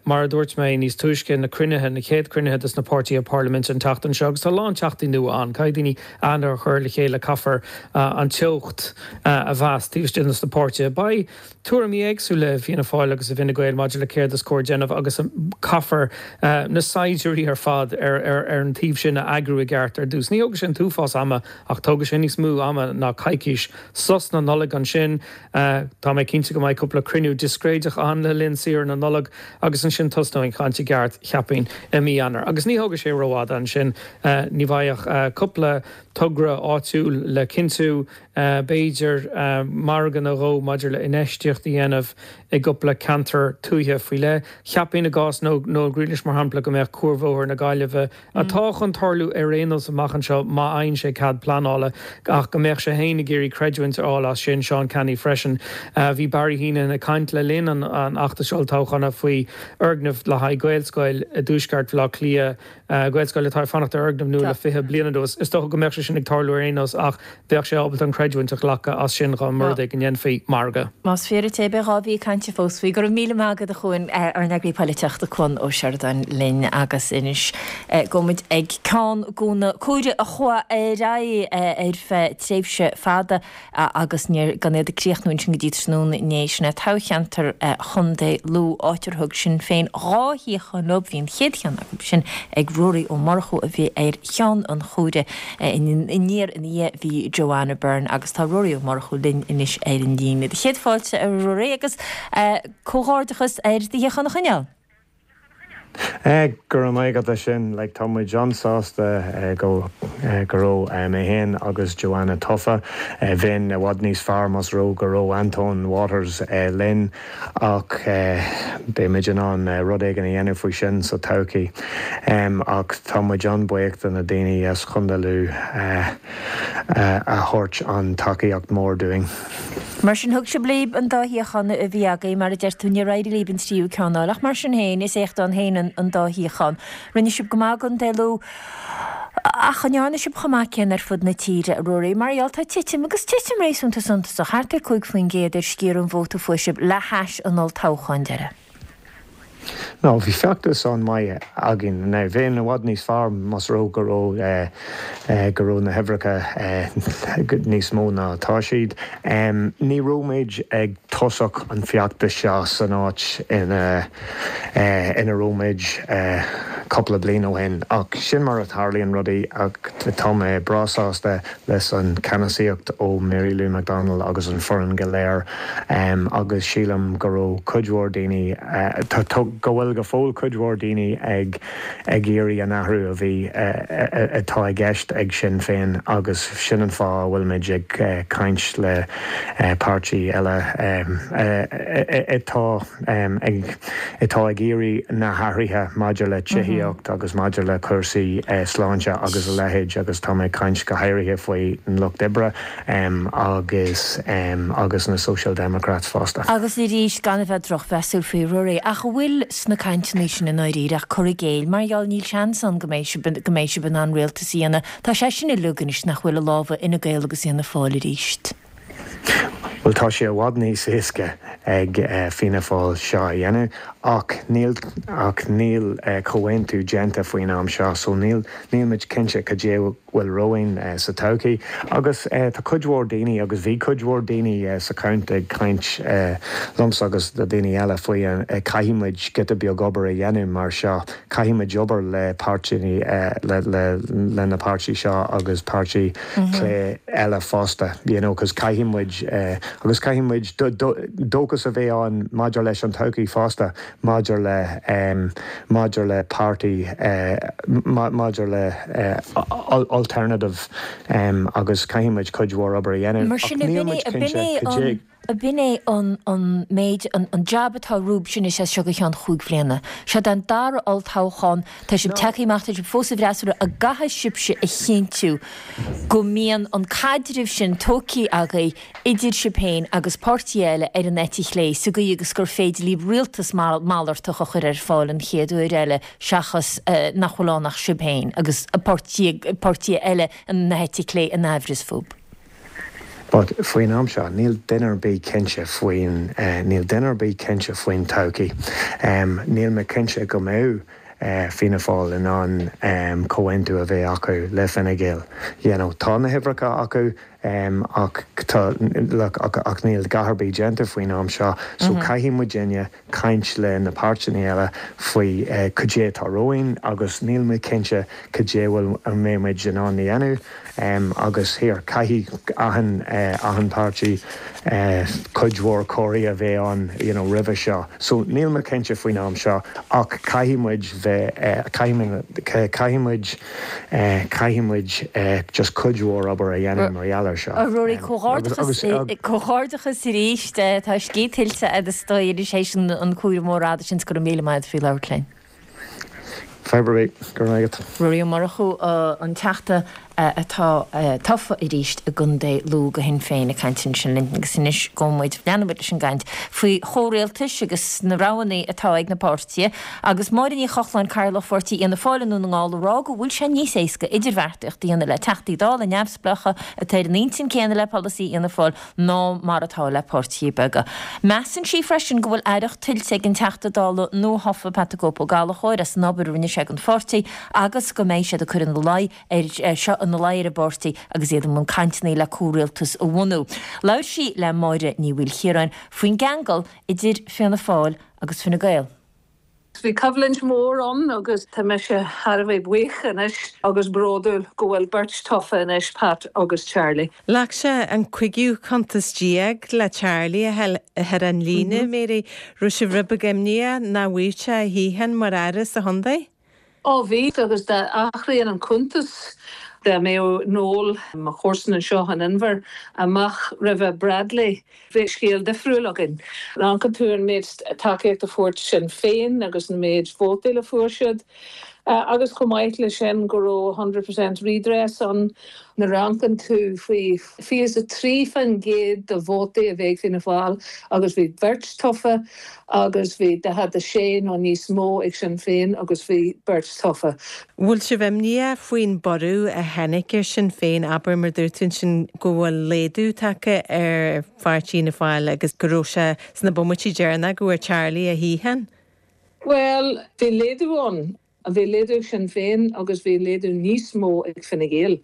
Mar a dúirt mé níos túisce, na cruinnithe, na chéad chruinnithe dos na páirtithe parlaiminte an tseachtain seo agus tá a lán teachtaí nua ann. Caithfidh daoine aithne a chur le chéile, caithfear an teocht a mheas taobh istigh dos na páirtithe. Beidh tuairimí éagsúla i bhFianna Fáil agus i bhFine Gael maidir le céard is cóir déanamh agus caithfear na saighdiúirí ar fad ar an taobh sin a eagrú i gceart ar dtús. Ní thógfaidh sé an t-uafás ama ach tógfaidh sé níos mó ama ná coicís. Sos na Nollag ansin. Tá mé cinnte go mbeidh cúpla cruinniú discréideach ann le linn saoire na Nollag agus ansin tosnóidh an chaint i gceart, cheapfainn, i mí Eanáir. Agus ní thógfaidh sé rófhada ansin. Ní bheidh ach cúpla togra áitiúil le cinntiú, b'fhéidir, margadh nó dhó maidir le infheistíocht a dhéanamh i gcúpla ceantar tuaithe faoi leith. Cheapfainn i gcás Noel Grealish, mar shampla, go mbeadh Cuarbhóthar na Gaillimhe, atá chun tarlú ar aon nós amach anseo má fhaigheann sé cead pleanála, ach go mbeadh sé féin ag iarraidh creidiúint a fháil as sin, Seán Canney freisin. Bhí Barry Heneghan ag caint le linn an fheachtais olltoghcháin faoi fhoirgneamh le haghaidh Gaelscoil i dtuaisceart Bhaile Átha Cliath, Gaelscoil atá ag fanacht ar fhoirgneamh nua le fiche bliain anuas. Is dócha go mbeadh sé sin ag tarlú ar aon nós ach bheadh sé ábalta an chreidiúint a ghlacadh as sin dá mba rud é go ndéanfaí margadh. Más fíor duit é, beidh dhá mhí cainte fós faoi. Go raibh míle maith agat a Chuain, ár n-eagraí polaitíochta Cuan Ó Seireadáin linn agus anois gabhfaidh muid ag ceann de na curaidh a chuaigh ar aghaidh ar feadh tréimhse fada agus níor gan iad ag críochnú ansin go dtí tráthnóna inné, sin é toghcheantar Chontae Lú, áit ar thug Sinn Féin dhá shuíochán leo. Bhí an chéad cheann acu sin ag Ruairí Ó Murchú a bhí ar cheann an chomhairimh aniar ina dhiaidh bhí Joanna Byrne agus tá Ruairí Ó Murchú linn anois ar an líne. Do chéad fáilte a Ruairí agus comhghairdeachas ar do shuíochán a choinneáil. Go raibh maith agat as sin. Like, tá muid an-sásta go go raibh mé féin agus Joanna tofa. Bheinn i bhfad níos fearr más raibh go raibh Antóin Waters linn ach beidh muid in ann rud éigin a dhéanamh faoi sin sa todhchaí. Ach tá muid an-bhuíoch de na daoine as Chontae Lú a thabhairt an tacaíocht mór dúinn. Mar sin, thug sibh libh an dá shuíochán a bhí agaibh, mar a deir tú, níor éirigh libh an tríú ceann a fháil, ach mar sin féin, is éacht ann féin an dá shuíochán. Rinne sibh go maith i gContae Lú, ach an ndearna sibh chomh maith céanna ar fud na tíre, a Ruairí? Mar gheall, tá titim, agus titim réasúnta suntasach, thart ar cúig faoin gcéad ar sciar an vóta a fuair sibh le hais an olltoghcháin deiridh. No, bhí feachtas an-mhaith againn. Now, bheinn i bhfad níos fearr más raibh go raibh go raibh na huimhreacha níos mó ná atá siad. Ní raibh muid ag tosach an feachtas seo san áit ina ina raibh muid cúpla bliain ó shin ach sin mar a tharlaíonn rudaí ach tá mé breá sásta leis an ceannasaíocht ó Mary Lou McDonald agus an foireann go léir agus sílim go raibh cuid mhór daoine go bhfuil go fóill cuid mhór daoine ag ag iarraidh an athrú a bhí atá i gceist ag Sinn Féin agus sin an fáth a bhfuil muid ag caint le páirtí eile atá ag atá ag iarraidh na hathruithe maidir le tithíocht agus maidir le cúrsaí sláinte agus a leithéid agus tá mé ag caint go háirithe faoi an Lucht Oibre agus agus na Social Democrats fosta. Agus arís, gan a bheith drochmheasúil faoi Ruairí, ach an bhfuil sna cainteanna sin i ndáiríre ach cur i gcéill, mar gheall níl seans ann go mbeidh sibh go mbeidh sibh in ann rialtas a dhéanamh. Tá sé sin uilig anois nach bhfuil i lámha Fhine Gael agus Fhianna Fáil arís. Bhuel tá sé i bhfad níos éasca ag Fianna Fáil seo a dhéanamh ach níl ach níl comhaontú déanta faoin am seo so níl níl muid cinnte cad é bhfuil romhainn sa todhchaí agus tá cuid mhór daoine agus bhí cuid mhór daoine sa count ag caint liomsa agus le daoine eile faoi caithfidh muid giota beag obair a dhéanamh mar seo caithfidh muid obair le páirtí le le le na páirtí seo agus páirtí clé eile fosta you know cos caithfidh muid agus caithfidh muid dóchas a bheith ann maidir leis an todhchaí fosta maidir le maidir le páirtí maidir le alternative agus caithfidh muid cuid mhór obair a dhéanamh Mar ach sin níl muid cinnte cad é an B'in é an an méid, an an jab atá romhaibhse anois as seo go ceann chúig bhliana. Seod é an dara olltoghchán, tá sibh tagtha amach, tá sibh fós sa bhfreasúra, an gcaithfidh sibhse a chinntiú go mbíonn an caidreamh sin tógtha agaibh idir sibh féin agus páirtithe eile ar an eite chlé sa gcaoi agus gur féidir libh rialtas malartach a chur ar fáil an chéad uair eile seachas nach bhfuil ann ach sibh féin agus páirtithe eile na heite clé in aimhreas fúibh. But faoin am seo, níl duine ar bith cinnte faoin, níl duine ar bith cinnte faoin todhchaí. Níl mé cinnte go mbeidh Fianna Fáil in ann comhaontú a bheith acu le Fine Gael. You know, tá na huimhreacha acu ach tá, look, ach níl a dhath ar bith déanta faoin am seo so caithfidh muidinne caint le na páirteanna eile faoi cad é atá romhainn agus níl mé cinnte cad é bhfuil, an mbeidh muid in ann a dhéanamh. Agus here, caithfidh achan, achan páirtí cuid mhór comhrá a bheith ann you know roimhe seo. So níl mé cinnte faoin am seo ach caithfidh muid bheith, caithfidh muid, caithfidh muid, caithfidh muid just cuid mhór obair a dhéanamh mar gheall air seo. A Ruairí, comhghairdeachas, comhghairdeachas arís, tá scíth tuillte agat is dóigh anois théis an cúram mór fhada sin 's go raibh míle maith agat faoi labhairt linn. Fadhb ar bith, go raibh maith agat. Ruairí Ó Murchú, an Teachta atá tofa arís i gContae Lú do Shinn Féin ag caint ansin linn agus anois gabhfaidh muid, leanfaidh muid leis an gcaint faoi chomhrialtais agus na roghanna atá ag na páirtithe agus Máire Ní Chochláin, Cathaoirleach Pháirtí Fhianna Fáil i nDún na nGall ag rá go bhfuil sé níos éasca idirbheartaíocht a dhéanamh le Teachtaí Dála neamhspleácha atá ar an intinn céanna le polasaí Fhianna Fáil ná mar atá le páirtithe beaga. Measann sí freisin go bhfuil aireacht tuillte ag an Teachta Dála nuathofa Pat the Cope Ó Gallchóir as an obair a rinne sé don pháirtí agus go mbeidh siad ag cur ina luí ar seo ina luí ar an bpáirtí agus iad i mbun cainteanna le comhrialtas a bhunú. Labhair sí le Máire Ní Mhaoilchiaráin faoin gceangal idir Fianna Fáil agus Fine Gael. Bhí coimhlint mhór ann agus tá mise thar a bheith buíoch anois agus bródúil go bhfuil beirt tofa anois, Pat agus Charlie. Ghlac sé an cúigiú cuntas déag le Charlie a chur ar an líne, Mary. Raibh sibh rud beag imníoch nach bhfaigheadh sé a shuíochán mar aire sa chontae? Ó bhí, agus dá athraíonn an cuntas, dá mbeadh Noel, mo chomharsan anseo in Inbhear, amach roimhe Bradley, bheadh scéal difriúil againn. Amharcann tú an méid tacaíocht a fuair Sinn Féin agus an méid vótaí a fuair siad, agus chomh maith leis sin go raibh hundred percent redress ann. Nuair a amharcann tú faoi fiche is a trí faoin gcéad de vótaí a bhí ag Fianna Fáil agus bhí beirt tofa agus bhí daichead a sé nó níos mó ag Sinn Féin agus bhí beirt tofa. Bhfuil sibh imníoch faoin borradh a tháinig ar Sinn Féin, abair mar dúirt tú ansin go bhfuil laghdú tagtha ar pháirtí Fhianna Fáil agus go raibh sé sna bomaití deireanacha go bhfuair Charlie a shuíochán? Bhuel, bhí laghdú ann. Bhí laghdú ag Sinn Féin agus bhí laghdú níos mó ag Fine Gael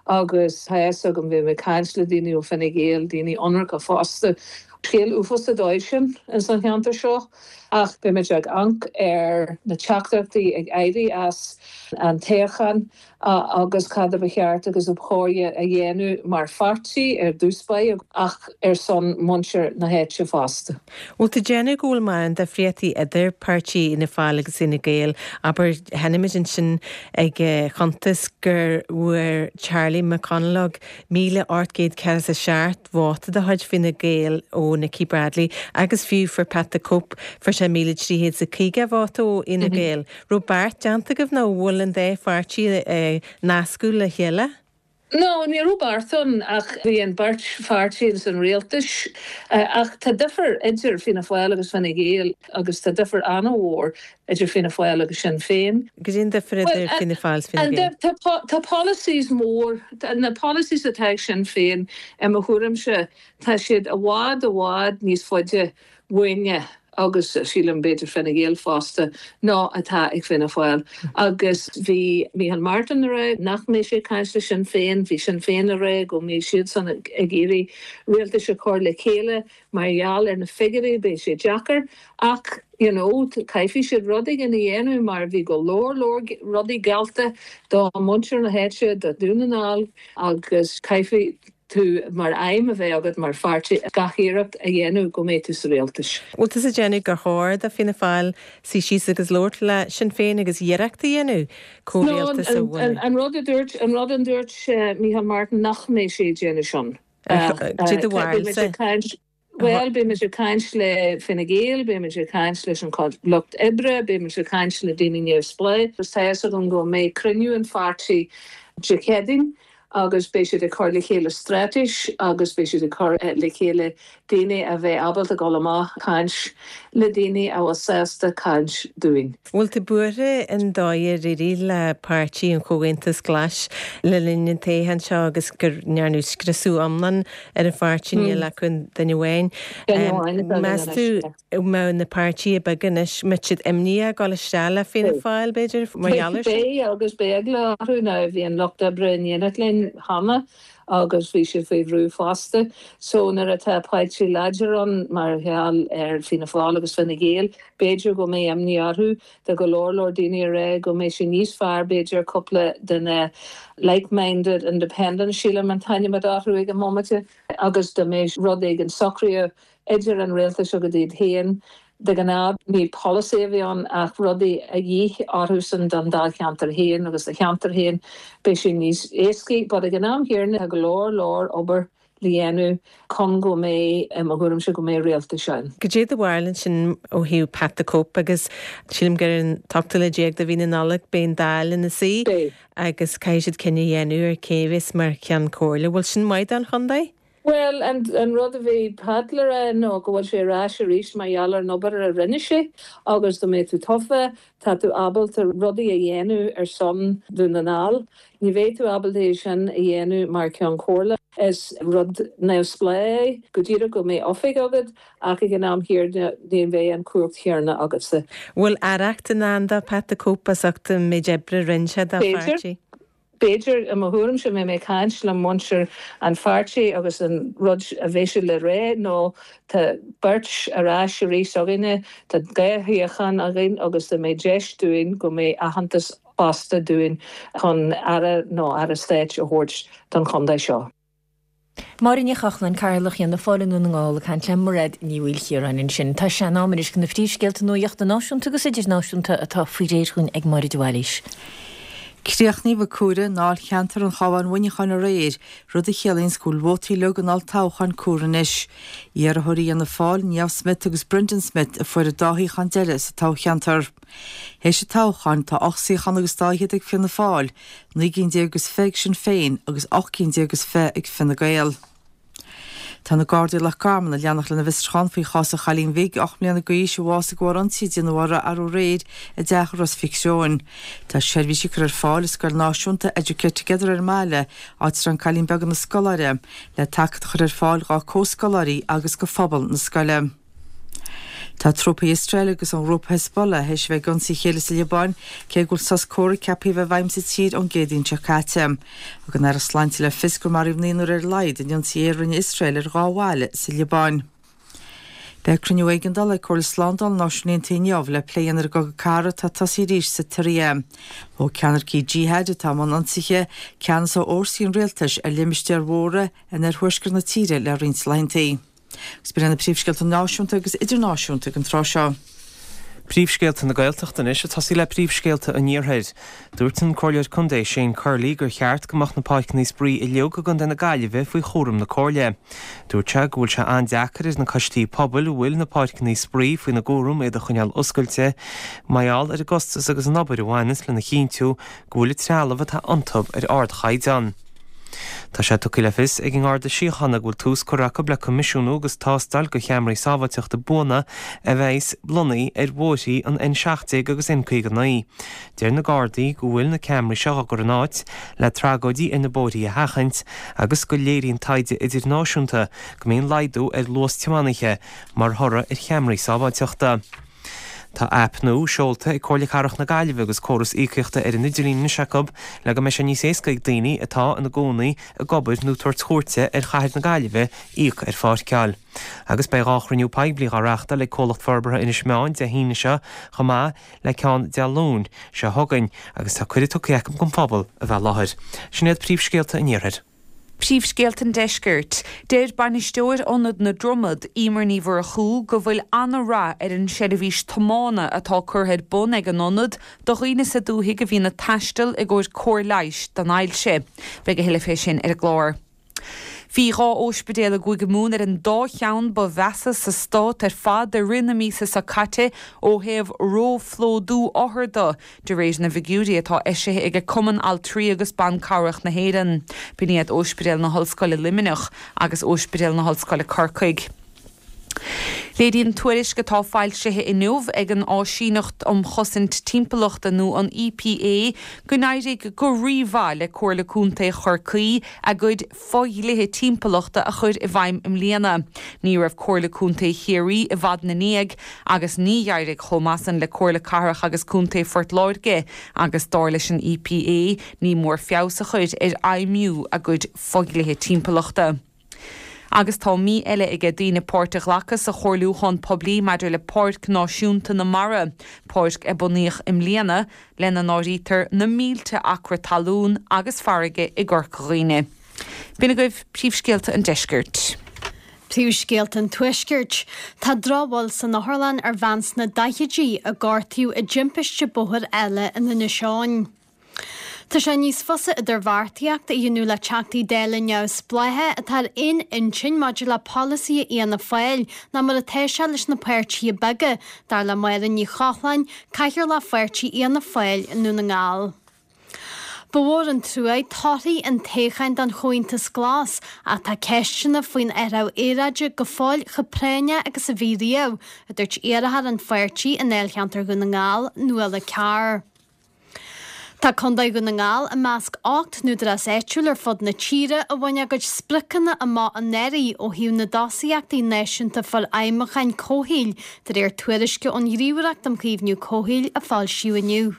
agus tá a fhios agam, bhí mé ag caint le daoine ó Fine Gael, daoine ionraice fosta, scéal uafásach dóibh sin ins an cheantar seo ach beidh muid ag amharc ar na teachtaireachtaí ag éirí as an toghchán agus cad a ba cheart agus ab chóir a dhéanamh mar pháirtí ar dtús báire ach ar son muintir na háite fosta. Bhfuil tú ag déanamh go bhfuil mórán difríochtaí idir páirtí Fhianna Fáil agus Fhine Gael? Abair, chonaic muid ansin ag cuntas gur bhfuair Charlie McConalogue míle ocht gcéad ceathracha is a seacht vóta de chuid Fine Gael ó Nikki Bradley agus fiú fuair Pat the Cope, fuair sé míle trí chéad is a caoga vóta ó Fhine Gael. Raibh beart déanta agaibh nó bhfuil an dá pháirtí nascadh le chéile? No, ní raibh beart ann ach bhí an beirt pháirtí ins an rialtais. Ach tá difear idir Fianna Fáil agus Fine Gael agus tá difear an-mhór idir Fianna Fáil agus Sinn Féin. Cad é an difear idir Fianna Fáil is Fine Gael? Tá policies mór, na policies atá ag Sinn Féin, i mo thuairimse, tá siad i bhfad, i bhfad níos faide uainne agus sílim b'fhéidir Fine Gael fosta, ná atá ag Fianna Fáil. Agus bhí Micheál Martin ag rá nach mbeidh sé ag caint le Sinn Féin, bhí Sinn Féin ag rá go mbeidh siadsan ag iarraidh rialtais a chur le chéile mar gheall ar na figiúirí, beidh sé deacair ach you know caithfidh siad rud éigin a dhéanamh mar bhí go leor leor rudaí geallta do mhuintir na háite, do Dhún na nGall agus caithfidh tú mar aidhm a bheith agat mar pháirtí gach iarracht a dhéanamh go mbeidh tú sa rialtas. Bhfuil tusa ag déanamh gur chóir do Fianna Fáil suí síos agus labhairt le Sinn Féin agus iarracht a dhéanamh comhrialtas a bhunú? An rud a dúirt, an rud a dúirt Micheál Martin nach mbeidh sé ag déanamh sin. Cad é do bharúilsa? Bhuel, beimid ag caint le Fine Gael, beimid ag caint leis an Lucht Oibre, beimid ag caint le daoine neamhspleách. Tá fhios agam go mbeidh cruinniú an pháirtí Dé Céadaoin agus beidh siad ag cur le chéile straitéis agus beidh siad ag cur le chéile daoine a bheidh ábalta dul amach caint le daoine a bhfuil sásta caint dúinn. Bhfuil tú buartha an dóigh ar éirigh le Páirtí an Chomhaontais Ghlais le linn an toghcháin seo agus go ndearnadh scriosadh iomlán ar an pháirtí níl acu duine amháin. Meas tú mbeadh na páirtithe beaga anois mbeadh siad imníoch ag dul isteach le Fianna Fáil b'fhéidir mar gheall air sin? Beidh agus beidh eagla orthu now bhí an Lucht Oibre in éineacht linn cheana agus bhí siad faoi bhrú fosta. So nuair atá páirtí láidir ann mar gheall ar Fianna Fáil agus Fine Gael, b'fhéidir go mbeidh imní orthu. Tá go leor leor daoine ag rá go mbeidh sé níos fearr b'fhéidir cúpla duine like-minded independent sílim an t-ainm atá orthu ag an mbomaite agus dá mbeidh rud éigin socraithe idir an rialtas agus iad féin. De ghnáth ní polasaí a bhí ann ach rudaí a dhíth orthusan don dáilcheantar féin agus do cheantar féin beidh sé níos éascaí. But ag an am chéanna tá go leor leor obair le dhéanamh chun go mbeidh, i mo thuairimse, go mbeidh rialtas ann. Cad é do bharúil ansin ó thaobh Pat the Cope agus sílim gur an t-ochtú lá déag de mhí na Nollag beidh an Dáil ina suí agus caithfidh siad cinneadh a dhéanamh ar cé a bheas mar cheann comhairle. Bhfuil sin maith don chontae? Bhuel, an rud a bhí Pat le rá ná go bhfuil sé ar ais arís mar gheall ar an obair a rinne sé agus dá mbeidh tú tofa, tá tú ábalta rudaí a dhéanamh ar son Dhún na nGall. Ní bheidh tú ábalta é sin a dhéanamh mar Cheann Comhairle. Is rud neamhspleách é, go díreach go mbeidh oifig agat ach ag an am chéanna ní bheidh an chumhacht chéanna agatsa. Bhfuil aireacht i ndán do Pat the Cope as ucht an méid oibre a rinne sé dá pháirtí? B'fhéidir, i mo thuairimse, mbeidh mé ag caint le muintir an pháirtí agus an rud a bheidh siad le rá ná tá beirt ar ais arís againne, tá dhá shuíochán againn agus dá mbeidh deis dúinn go mbeidh aitheantas fosta dúinn chun Aire nó Aire Stáit a thabhairt don chontae seo. Máire Ní Chochláin, Cathaoirleach Fhianna Fáil i nDún na nGall ag caint le Mairéad Ní Mhaoilchiaráin ansin. Tá sé in am anois do na príomhscéalta nuachta náisiúnta agus idirnáisiúnta atá faoi réir chugainn ag Máire de Bhailís. Críochnaíodh ag comhaireamh i ndáilcheantar an Chabháin-Mhuineacháin aréir, rud a chiallaíonns go bhfuil vótaí uilig an olltoghcháin comhairthe anois. Iarrthóirí Fhianna Fáil, Niamh Smyth agus Brendan Smyth a fuair an dá shuíochán deiridh sa toghcheantar. Théis an toghcháin, tá ocht suíochán agus dá fhichead ag Fianna Fáil, naoi gcinn déag agus fiche ag Sinn Féin agus ocht gcinn déag agus fiche ag Fine Gael. Tá na Gardaí i Loch Garman ag leanacht lena bhfiosrúchán faoi chás an chailín bhig ocht mbliana d'aois a bhásaigh de bharr ionsaí a déanadh uirthi arú aréir i dteach i Ros Mhic Thriúin. Tá seirbhísí curtha ar fáil i scoil náisiúnta Educate Together ar an mbaile, áit a raibh an cailín beag ina scoláire, le tacaíocht a chur ar fáil dhá comhscoláirí agus do phobal na scoile. Tá trúpaí Iosrael agus an ghrúpa Hezbollah théis a bheith ag ionsaí a chéile sa Liobáin, cé go bhfuil sos comhraic ceaptha a bheith i bhfeidhm sa tír ón gCéadaoin seo caite. Thug an Aireacht Sláinte le fios gur maraíodh naonúr ar a laghad in ionsaí aeir a rinne Iosrael ar dhá bhaile sa Liobáin. Beidh cruinniú éigeandála ag Comhairle Slándála na Náisiún Aontaithe inniu le plé a dhéanamh ar an gcogadh cathartha atá tosaithe arís sa tSiria. Thóg ceannaircigh Jihad atá i mbun ionsaithe ceannas ó fhórsaí an rialtais ar limistéir mhóra in oirthuaisceart na tíre le roinnt laethanta. Agus b'in iad na príomhscéalta náisiúnta agus idirnáisiúnta ag an tráth seo. Príomhscéalta na Gaeltachta anois ag tosaí le príomhscéalta an Iarthair. Dúirt an Comhairleoir Contae Shane Curley gur cheart go mbeadh na páirceanna spraoi uilig i gContae na Gaillimhe faoi chúram na Comhairle. Dúirt sé go bhfuil sé an-deacair ar na coistí pobail a bhfuil na páirceanna spraoi faoina gcúram iad a choinneáil oscailte mar gheall ar an gcostas agus an obair a bhaineanns lena chinntiú go bhfuil an trealamh atá iontu ar ardchaighdeán. Tá sé tugtha le fios ag an nGarda Síochána go bhfuil tús curtha acu le coimisiúnú agus tástáil do cheamaraí sábháilteachta buana a bheas lonnaithe ar bhóithrí an N seacht déag agus N caoga naoi. Deir na Gardaí go bhfuil na ceamaraí seo á gcur in áit le tragóidí ar na bóithrí a sheachaint agus go léiríonn taighde idirnáisiúnta go mbíonn laghdú ar luas tiománaithe mar thoradh ar cheamaraí sábháilteachta. Tá aip nua seolta ag Comhairle Cathrach na Gaillimhe agus córas íocaíochta ar an idirlíon anois acu le go mbeidh sé níos éasca ag daoine atá ina gcónaí, ag obair nó ag tabhairt cuairte ar chathair na Gaillimhe íoc ar pháirceáil. Agus beidh dhá chruinniú poiblí á reáchtáil ag Comhlacht Forbartha Inis Meáin Dé hAoine seo chomh maith le ceann Dé Luain seo chugainn agus tá cuireadh tugtha acu don phobal a bheith i láthair. Sin iad príomhscéalta an Iarthair. Príomhscéalta an Deiscirt. Deir bainisteoir Ionad na Dromad, Emer Ní Mhurchú, go bhfuil an-rath ar an seirbhís tiomána atá curtha ar bun ag an ionad do dhaoine sa dúthaigh a bhíonn ag taisteal i gcomhair cóir leighis don ailse. Beidh a thuilleadh fé sin ar an gclár. Bhí dhá ospidéal i gCúige Mumhan ar an dá cheann ba mheasa sa stát ar fad i rith na míosa seo caite ó thaobh róphlódú othar de, de réir na bhfigiúirí atá eisithe ag Cumann Altraí agus Ban Cabhrach na hÉireann. B'in iad Ospidéal na hOllscoile Luimneach agus Ospidéal na hOllscoile Corcaigh. Léiríonn tuairisc atá foilsithe inniu ag an Áisíneacht um Chosaint Timpeallachta nó an EPA go n-éirigh go rímhaith le Comhairle Contae Chorcaí a gcuid fodhlíthe timpeallachta a chur i bhfeidhm i mbliana. Ní raibh Comhairle Contae Chiarraí i bhfad ina ndiaidh agus ní éirigh chomh maith san le Comhairle Cathrach agus Contae Phort Láirge agus dar leis an EPA ní mór feabhas a chur ar fheidhmiú a gcuid fodhlíthe timpeallachta. Agus tá mí eile aige daoine páirt a ghlacadh sa chomhairliúchán poiblí maidir le Páirc Náisiúnta na Mara, páirc a bunaíodh i mbliana, lena n-áirítear na mílte acra talún agus farraige i gCorca Dhuibhne. B'in agaibh príomhscéalta an deiscirt. Príomhscéalta an Tuaiscirt. Tá drochbhail san otharlann ar bhean sna daichidí a gortaíodh i dtimpiste bóthair eile in Inis Eoghain. Tá sé níos fusa idirbheartaíocht a dhéanamh le Teachtaí Dála neamhspleácha atá ar aon intinn maidir le polasaithe Fhianna Fáil ná mar atá sé leis na páirtithe beaga, dar le Máire Ní Chochláin, Cathaoirleach Pháirtí Fhianna Fáil i nDún na nGall. Ba mhór an trua torthaí an toghcháin don Chomhaontas Glas ach tá ceisteanna faoin athrú aeráide go fóill chomh práinneach agus a bhí riamh, a dúirt iarrthóir an pháirtí i ndáilcheantar Dhún na nGall, Nuala Carr. Tá Contae Dhún na nGall i measc ocht n-údarás áitiúil ar fud na tíre a bhain a gcuid spriocanna amach anuraidh ó thaobh na dtosaíochtaí náisiúnta forfheidhmiúcháin comhshaoil, de réir tuairisce ón Ghníomhaireacht um Chaomhnú Comhshaoil a foilsíodh inniu.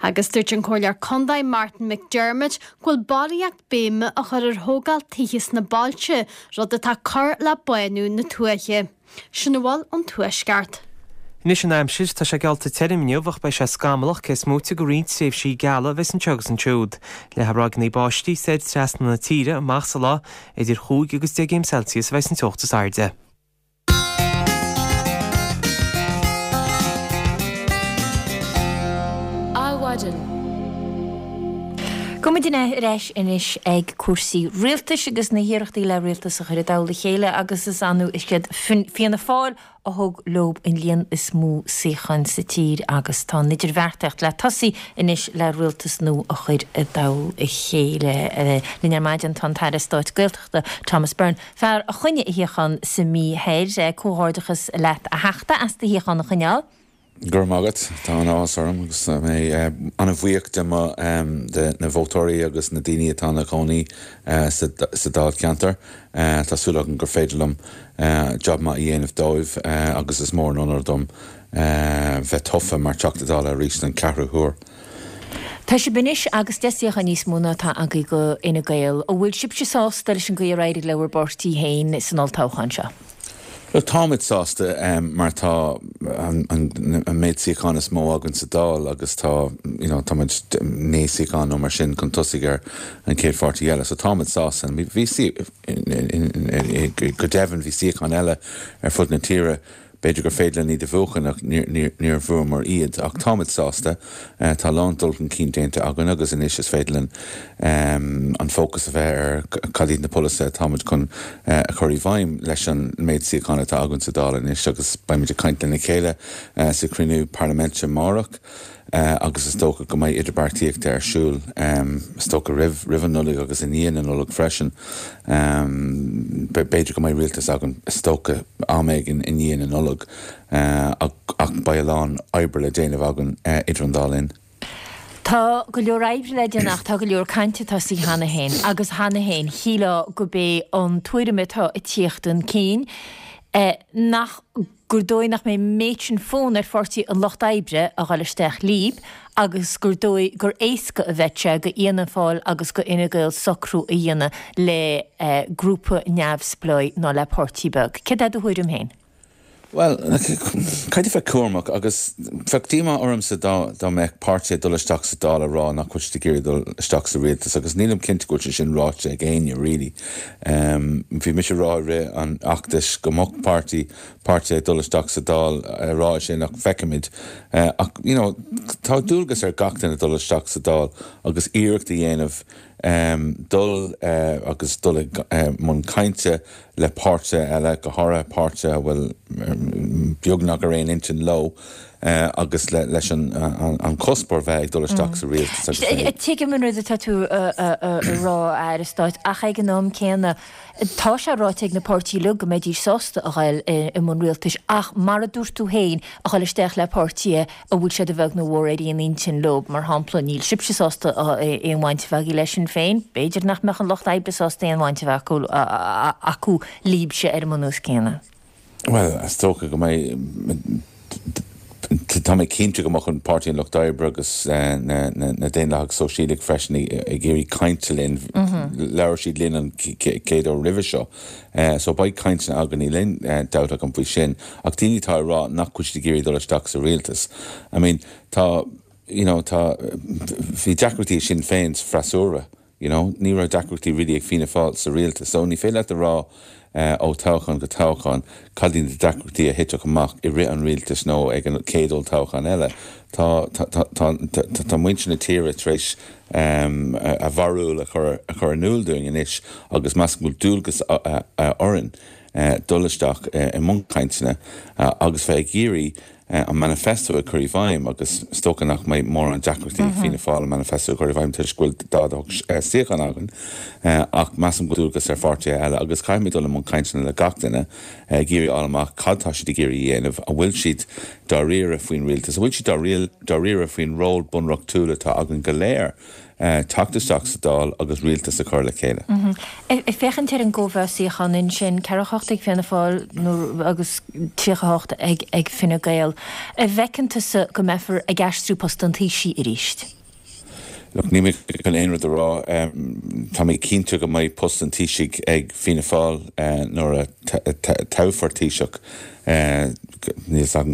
Agus dúirt an Comhairleoir Contae Martin McDermott go bhfuil barraíocht béime á chur ar thógáil tithe sna bailte, rud atá ag cur le bánú na tuaithe. Sin a bhfuil ón Tuaisceart. Anois an aimsir, tá sé geallta tirim inniu ach beidh sé scamallach cé is móite de roinnt tréimhsí geala a bheas anseo agus ansiúd. Leathfaidh ráigeanna báistí soir trasna na tíre amach sa lá, idir chúig agus deich gcéim Celsius a bheas an teocht is airde. Adhmhaidin. Gabhfaidh muid ar ais anois ag cúrsaí rialtais agus na hiarrachtaí le rialtas a chur i dtoll a chéile agus is annamh is iad Fianna Fáil a thug leo an líon is mó suíochán sa tír agus tá an idirbheartaíocht le tosaí anois le rialtas nua a chur i dtoll a chéile. Linn ar maidin tá an tAire Stáit Gaeltachta Thomas Byrne, fear a choinnigh a shuíochán sa Mí Thoir. Comhghairdeachas leat a Theachta as do shuíochán a choinneáil. Go raibh maith agat. Tá an-áthas orm agus tá mé an-bhuíoch de mo, de na vótóirí agus na daoine atá ina gcónaí sa Dáilcheantar. Tá súil agam gur féidir liom job maith a dhéanamh dóibh agus is mór an onóir dom bheith tofa mar Teachta Dála arís don ceathrú huair. Tá sibh anois agus deich suíochán níos mó ná atá agaibh go Fhine Gael. An bhfuil sibhse sásta leis an gcaoi ar éirigh le bhur bpáirtí féin san olltoghchán seo? Bhuel, táimid sásta mar tá an méid suíochán is mó againn sa Dáil agus tá, you know, táimid naoi suíochán nó mar sin chun tosaigh ar an chéad pháirtí eile. So táimid sásta. Bhí, go deimhin, bhí suíocháin eile ar fud na tíre. B'fhéidir gur féidir linn iad a bhuachan ach níor bhuamar iad. Ach táimid sásta. Tá a lán dul chun cinn déanta againn agus anois is féidir linn an fócas a bheith ar cad iad na polasaithe atáimid chun a chur i bhfeidhm leis an méid suíochán atá againn sa Dáil anois agus beimid ag caint lena chéile sa chruinniú parlaiminte amárach. Agus is dócha go mbeidh idirbheartaíocht ar siúl, is dócha, roimh roimh an Nollaig agus i ndiaidh na Nollag freisin. B'fhéidir go mbeidh rialtas againn, is dócha, am éigin i ndiaidh na Nollag, ach beidh a lán oibre le déanamh againn idir an dá linn. Tá go leor oibre le déanamh ach tá go leor cainte tosaithe cheana féin agus cheana féin shílfeá gurb é an tuairim atá ag tíocht chun cinn nach gur dóigh nach mbeidh an méid sin fonn ar Pháirtí an Lucht Oibre a dhul isteach líb agus gur dóigh gur éasca a bheidh sé go Fhianna Fáil agus go Fhine Gael socrú a dhéanamh le grúpa neamhspleách ná le páirtí beag. Céard é do thuairim féin? Bhuel, caithfidh bheith cúramach agus bheadh díomá ormsa dá dá mbeadh páirtí ag dul isteach sa Dáil ag rá nach bhfuil siad ag iarraidh dul isteach sa rialtas agus nílim cinnte go bhfuil sé sin ráite ag éinne really. Bhí mise ag rá i rith an fheachtais go mbeadh páirtí páirtí ag dul isteach sa Dáil ag rá sin ach feicfimid. Ach you know tá dualgas ar gach duine dul isteach sa Dáil agus iarracht a dhéanamh dul agus dul i mbun cainte le páirtithe eile, go háirithe páirtithe a bhfuil beagnach ar aon intinn leo agus leis an cuspóir bheith ag dul isteach sa rialtas agus bheith. Tuigim an rud atá tú a rá, a Aire Stáit, ach ag an am céanna, tá sé ráite ag na páirtithe uilig go mbeidís sásta a ghoil i mbun rialtais ach mar a dúirt tú féin, a ghoil isteach le páirtithe a bhfuil siad a bheag nó a mhór ar aon intinn leo. Mar shampla, níl sibhse sásta aon bhaint a bheith agaibh le Sinn Féin, b'fhéidir nach mbeadh an Lucht Oibre sásta aon bhaint a bheith acu libhse ar an mbunús céanna. Bhuel, is dócha go mbeidh, tá mé cinnte go mbeadh an Páirtí an Lucht Oibre agus na Daonlathaigh Sóisialaigh freisin ag iarraidh cainte linn, labhair siad linn an chéad uair roimhe seo. So beidh cainteanna againn, níl aon dabht agam faoi sin. Ach daoine atá ag rá nach bhfuil siad ag iarraidh dul isteach sa rialtas, I mean, tá, you know, tá, bhí deacrachtaí ag Sinn Féin sa freasúra. You know, ní raibh deacrachtaí really ag Fianna Fáil sa rialtas. So ní féidir leat a rá ó toghchán go toghchán cad iad na deacrachtaí a thitfeadh amach i rith an rialtais nó ag an chéad olltoghchán eile. Tá, tá, tá, tá, tá muintir na tíre tar éis a bharúil a chur, a chur in iúl dúinn anois agus measaim go bhfuil dualgas orainn dul isteach i mbun cainteanna agus bheith ag iarraidh an manifesto a chur i bhfeidhm agus is dócha nach mbeidh mórán deacrachtaí ag Fianna Fáil an manifesto a chur i bhfeidhm toisc go bhfuil daichead a hocht suíochán againn ach measaim go bhfuil dualgas ar pháirtithe eile agus caithfimid dul i mbun cainteanna le gach duine ag iarraidh fháil amach cad tá siad ag iarraidh a dhéanamh, an bhfuil siad dáiríre faoin rialtas, an bhfuil siad dáiríre faoin ról bunreachtúil atá againn go léir teacht isteach sa Dáil agus rialtas a chur le chéile. Ag féachaint ar an gcóimheá suíochán ansin, ceathracha a hocht ag Fianna Fáil agus tríocha a hocht ag Fine Gael, an bhfeiceann tusa go mbeifear ag aistriú post an Taoisigh arís? Look, níl mé chun aon rud a rá. Tá mé cinnte go mbeidh post an Taoisigh ag Fianna Fáil nuair a toghfar Taoiseach. Níl 's agam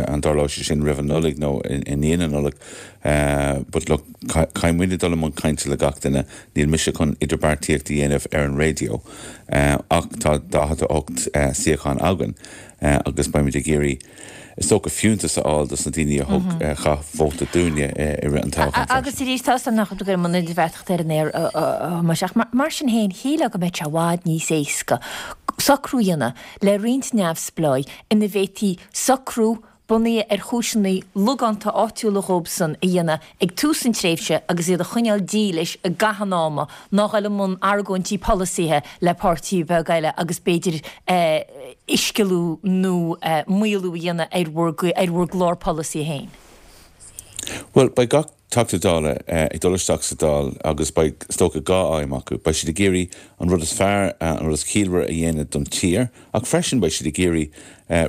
an dtarlóidh sé sin roimh an Nollaig nó i ndiaidh na Nollag. But look, caithfidh muidne dul i mbun cainte le gach duine. Níl mise chun idirbheartaíocht a dhéanamh ar an raidió. Ach tá daichead a hocht suíochán againn agus beimid ag iarraidh, is dócha, fiúntas a fháil dos na daoine a thug, a chaith vóta dúinne i rith an toghcháin freisin. Agus arís, tá 's agam nach bhfuil tú ag dul i mbun idirbheartaíochta ar an aer, a Thomáis, ach mar sin féin, shílfeá go mbeadh sé i bhfad níos éasca socrú a dhéanamh le roinnt neamhspleáigh ina bhféadfaí socrú bunaithe ar chúiseanna logánta áitiúla dhóibhsan a dhéanamh ag tús an tréimhse agus iad a choinneáil dílis i gcaitheamh an ama ná dhul i mbun argóintí polasaithe le páirtí beag eile agus b'fhéidir uiscealú nó maolú a dhéanamh ar bhur ar bhur gclár polasaí féin. Bhuel, beidh gach Teachta Dála ag dul isteach sa Dáil agus beidh, is dócha, dhá aidhm acu. Beidh siad ag iarraidh an rud is fearr, an rud is ciallmhaire a dhéanamh don tír ach freisin beidh siad ag iarraidh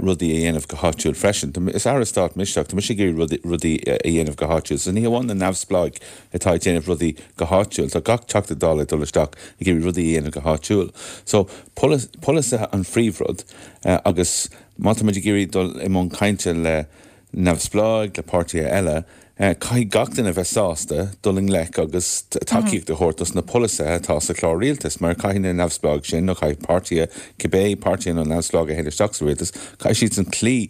rudaí a dhéanamh go háitiúil freisin. Is Aire Stáit mise ach tá mise ag iarraidh rudaí a dhéanamh go háitiúil. So ní hamháin na neamhspleáigh atá ag déanamh rudaí go háitiúil, tá gach Teachta Dála ag dul isteach ag iarraidh rudaí a dhéanamh go háitiúil. So polasaithe an phríomhrud agus má tá muid ag iarraidh dul i mbun cainte le neamhspleáigh, le páirtithe eile, caithfidh gach duine bheith sásta dul i ngleic agus tacaíocht a thabhairt dos na polasaithe atá sa chlár rialtais, mar caithfidh na neamhspleáigh sin, nó caithfidh páirtithe, cibé páirtithe nó neamhspleáigh a théann isteach sa rialtas, caithfidh siadsan cloí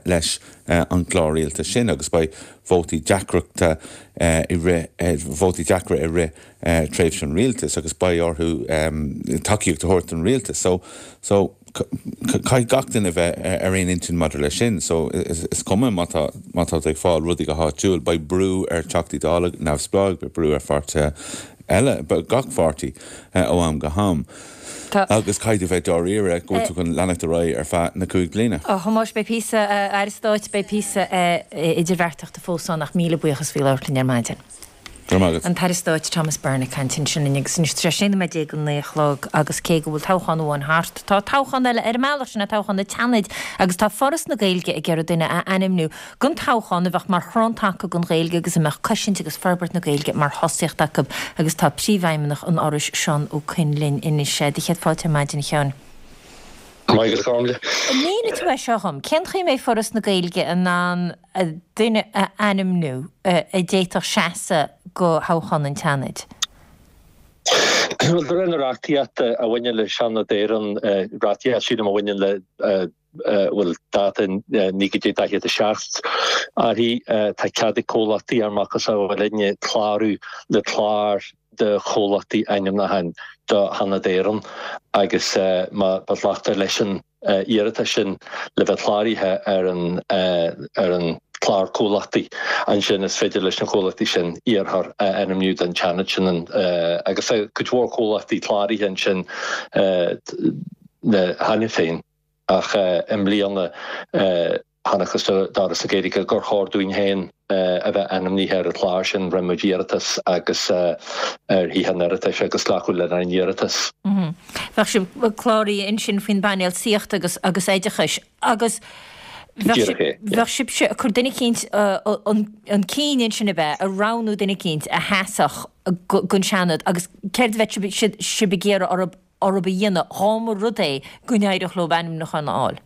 leis an gclár rialtais sin agus beidh vótaí deacrachta i rith, vótaí deacra i rith tréimhse an rialtais agus beidh orthu tacaíocht a thabhairt don rialtas. So, so. Caithfidh gach duine bheith ar aon intinn maidir leis sin. So, is cuma má tá má tá tú ag fáil rudaí go háitiúil, beidh brú ar Teachtaí Dála neamhspleáigh, beidh brú ar pháirtithe eile, gach pháirtí ó am go ham. Agus caithfidh tú bheith dáiríre go bhfuil tú chun leanacht ar aghaidh ar feadh na cúig bliana. A Thomáis, beidh píosa, a Aire Stáit, beidh píosa idirbheartaíochta fós ann ach míle buíochas faoi labhairt linn ar maidin. Go raibh maith agat. An tAire Stáit Thomas Byrne ag caint ansin linn agus anois tá sé sé nóiméad déag go naoi a chlog agus cé go bhfuil toghchán amháin thart, tá toghchán eile ar an mbealach, sin é toghchán an tSeanaid agus tá Foras na Gaeilge ag iarraidh duine a ainmniú don toghchán a bheadh mar chrann taca don Ghaeilge agus a mbeadh cosaint agus forbairt na Gaeilge mar thosaíocht acu agus tá Príomhfheidhmeannach an Fhorais, Seán Ó Coinn linn anois. Do chéad fáilte ar maidin, a Sheáin. Maith agat, a Chormaic. An mínigh tú é seo dhom, cén chaoi a mbeidh Foras na Gaeilge in ann duine a ainmniú a d'fhéadfadh seasamh go thoghchán an tSeanaid? Bhuel, de réir na reachtaíochta a bhaineann le Seanad Éireann, reachtaíocht, sílim, a bhaineann le, bhuel, dáta naoi déag daichead a seacht, uirthi, tá cead ag comhlachtaí ar macasamhail linne clárú le clár de chomhlachtaí ainmniúcháin do Sheanad Éireann agus má ghlactar leis an iarratas sin le bheith cláraithe ar an ar an chlár comhlachtaí, ansin is féidir leis na comhlachtaí sin iarrthóir a ainmniú don tSeanad sin agus tá cuid mhór comhlachtaí cláraithe ansin cheana féin ach i mbliana chonacthas d'Fhoras na Gaeilge gur chóir dúinn féin a bheith ainmnithe ar an chlár sin. Rinne muid iarratas agus ar Thithe an Oireachtais agus glacadh lenár n-iarratas. Bheadh sibh cláraithe ansin faoin bpainéal Saíochta agus agus Oideachais agus bheadh sibhse ag cur duine eicínt chun cinn ansin ab ea, ag roghnú duine eicínt a sheasfadh don Seanad agus céard a bheadh sibh ag iarraidh orthu a dhéanamh dhá mba rud é go n-éireodh leo ainmniúchán a fháil?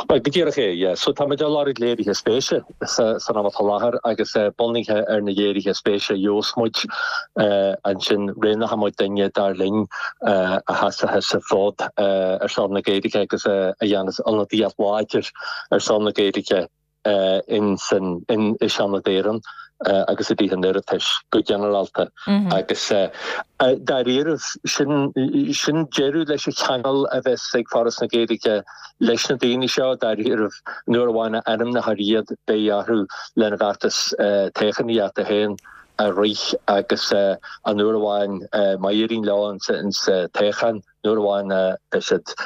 Bhuel, go díreach é, yeah. So tá muid ag lorg léirithe spéise san am atá i láthair agus bunaithe ar na léirithe spéise a gheobhas muid ansin roghnóidh muid duine dar linn a sheasfas an fód ar son na Gaeilge agus a dhéanfas ionadaíocht láidir ar son na Gaeilge in san in i Seanad Éireann agus i dTithe an Oireachtais go ginearálta agus dáiríribh sin sin deireadh leis an cheangal a bheas ag Foras na Gaeilge leis na daoine seo dáiríribh nuair amháin a ainmneofar iad beidh orthu lena bhfeachtas toghchánaíochta féin a rith agus an uair amháin má éiríonn leo insa toghchán nuair amháin a bheidh siad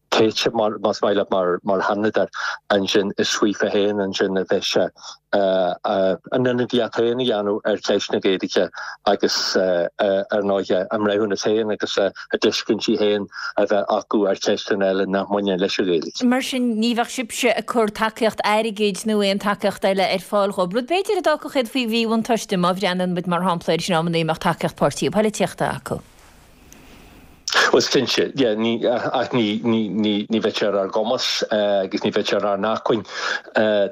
tofa más maith leat mar mar Sheanadóir ansin is faofa féin ansin a bheidh sé a n-ionadaíocht féin a dhéanamh ar cheist na Gaeilge agus ar ndóighe a mbreithiúnas féin agus a dtuiscintí féin a bheith acu ar cheisteanna eile nach mbaineann leis an Ghaeilge. Mar sin ní bheadh sibhse ag cur tacaíocht airgid nó aon tacaíocht eile ar fáil dhóibh, rud b'fhéidir a d'fhágfadh iad faoi mhíbhuntáiste má bhreathnaíonn muid mar shampla ar sin amannaí a mbeadh tacaíocht páirtí polaitíochta acu. Bhuel, cinnte, yeah, ní, ach ní, ní, ní, ní bheidh sé ar ár gcumas agus ní bheidh sé ar ár n-acmhainn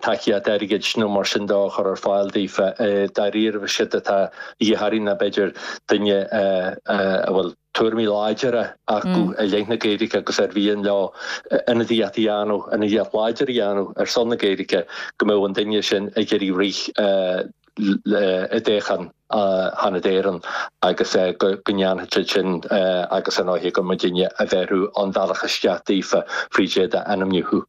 tacaíocht airgid nó mar sin de a chur ar fáil daofa. Dáiríribh is éard atá de dhíth orainn ná b'fhéidir duine a bhfuil tuairimí láidire acu i leith na Gaeilge agus ar mhian leo ionadaíocht a dhéanamh, ionadaíocht láidir a dhéanamh ar son na Gaeilge, go mbeadh an duine sin ag iarraidh rith i dtoghchán Sheanad Éireann agus go ndéanfaidh siad sin agus ar ndóighe gur muidinne a bhéarfadh an bealach isteach daofa fríd iad a ainmniú.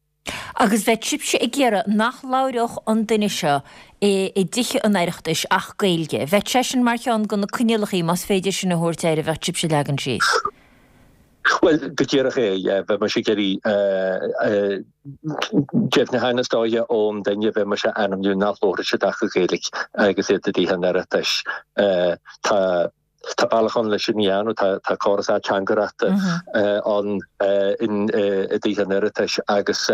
Agus bheadh sibhse ag iarraidh nach labhródh an duine seo i dTithe an Oireachtais ach Gaeilge. Bheadh sé sin mar cheann de na coinníollacha, más féidir sin a thabhairt air, a bheadh sibhse ag leagan síos. Bhuel, go díreach é, yeah. Bheadh mise ag iarraidh deimhniúchán is dóiche ón duine a bheidh mise a ainmniú nach labharfaidh siad ach Gaeilge agus iad i dTithe an Oireachtais. Tá tá bealach ann leis sin a dhéanamh, tá tá córas ateangaireachta ann i dTithe an Oireachtais agus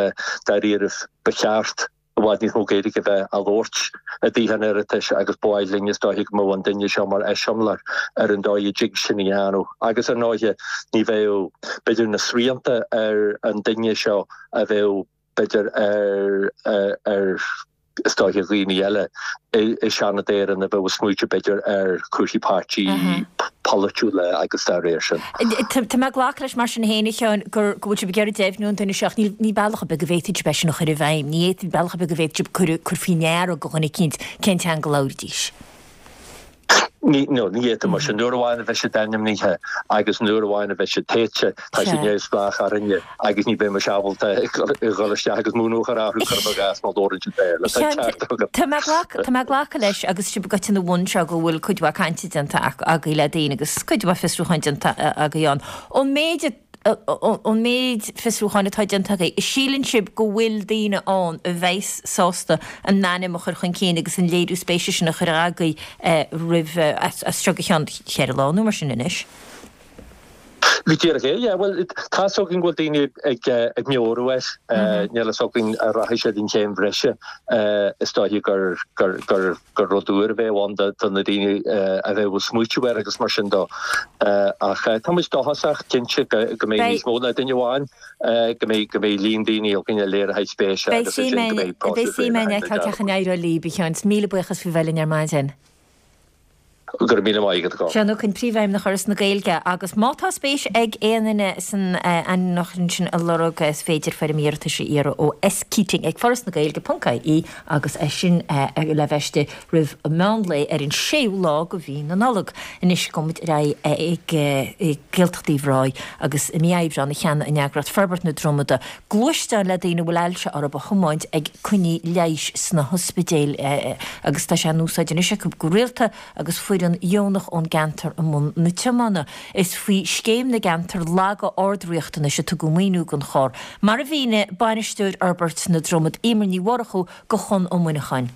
dáiríribh ba cheart i bhfad níos mó Gaeilge a bheith á labhairt i dTithe an Oireachtais agus ba mhaith linn is dóiche go mbeadh an duine seo mar eiseamláir ar an dóigh a dtig sin a dhéanamh. Agus ar ndóighe ní bheadh b'fhéidir na srianta ar an duine seo a bheadh b'fhéidir ar ar is dóiche dhaoine eile i Seanad Éireann a bheadh ag smaoitiú b'fhéidir ar chúrsaí páirtí polaitiúla agus dá réir sin. Tá mé ag glacadh leis mar sin féin, a Sheáin, go bhfuil sibh ag iarraidh deimhniú ón duine seo ach níl bealach ar bith go bhféadfaidh sibh é sin a chur i bhfeidhm. Ní fhéadfaidh bealach ar bith go bhféadfaidh sibh cur faoi ndeara do dhuine eicínt cén teanga a labhraídís. Ní, no, ní fhéadfaidh muid sin. Nuair amháin a bheidh siad ainmnithe agus nuair amháin a bheidh siad tofa, tá siad neamhspleách orainne agus ní bheidh muid ábalta dhul isteach agus múnú a chur orthu, cuirim i gcás, má labhrann siad Béarla. Tá an ceart agat. Tá mé ag glacadh, tá mé ag glacadh leis agus sibh ag goil ina bhun seo go bhfuil cuid mhaith cainte déanta agaibh le daoine agus cuid mhaith fiosrúcháin déanta agaibh ann. Ón méid a Ón méid fiosrúcháin atá déanta agaibh, síleann sibh go bhfuil daoine ann a bheas sásta a n-ainm a chur chun cinn agus an léiriú spéise sin a chur agaibh roimh, as seo go ceann ceithre lá nó mar sin anois? Go díreach é, yeah. Bhuel, tá's againn go bhfuil daoine ag ag meabhrú air. Níl a fhios againn an rachaidh siad an chéim bhreise. Is dóiche gur gur gur gur rud úr a bheadh ann do na daoine a bheadh ag smaoitiú air agus mar sin de. Ach tá muid dóchasach, cinnte, go mbeidh níos mó ná duine amháin, go mbeidh go mbeidh líon daoine againn a léireoidh spéis agus ansin go mbeidh próiseas. Beidh suim againn a fheiceáil cén chaoi a n-éireoidh libh, a Sheáin. Míle buíochas faoi bheith linn ar maidin. Go raibh míle maith agat, a Chon. Seán Ó Coinn, Príomhfheidhmeannach Fhoras na Gaeilge, agus má tá spéis ag aon duine san ainmniúchán sin a lorg, is féidir foirm iarratais a iarraidh ó skeating ag forasnagaeilge ponc ie agus é sin le bheith istigh roimh meán lae ar an séú lá de mhí na Nollag. Anois gabhfaidh muid ar aghaidh ag Gaeltacht Uíbh Ráthaigh agus i mí Aibreáin a cheannaigh an eagraíocht Forbairt na Dromada gluaisteán le daoine a bhfuil ailse orthu a thiomáint ag coinní leighis sna hospidéil agus tá sé in úsáid anois acu go rialta agus foireann dheonach ón gceantar i mbun na tiomána. Is faoi Scéim na gCeantar Laga Ard-Riachtanais a tugadh maoiniú don charr, mar a mhínigh Bainisteoir Fhorbairt na Dromad, Emer Ní Mhurchú, do Chonn Ó Muineacháin.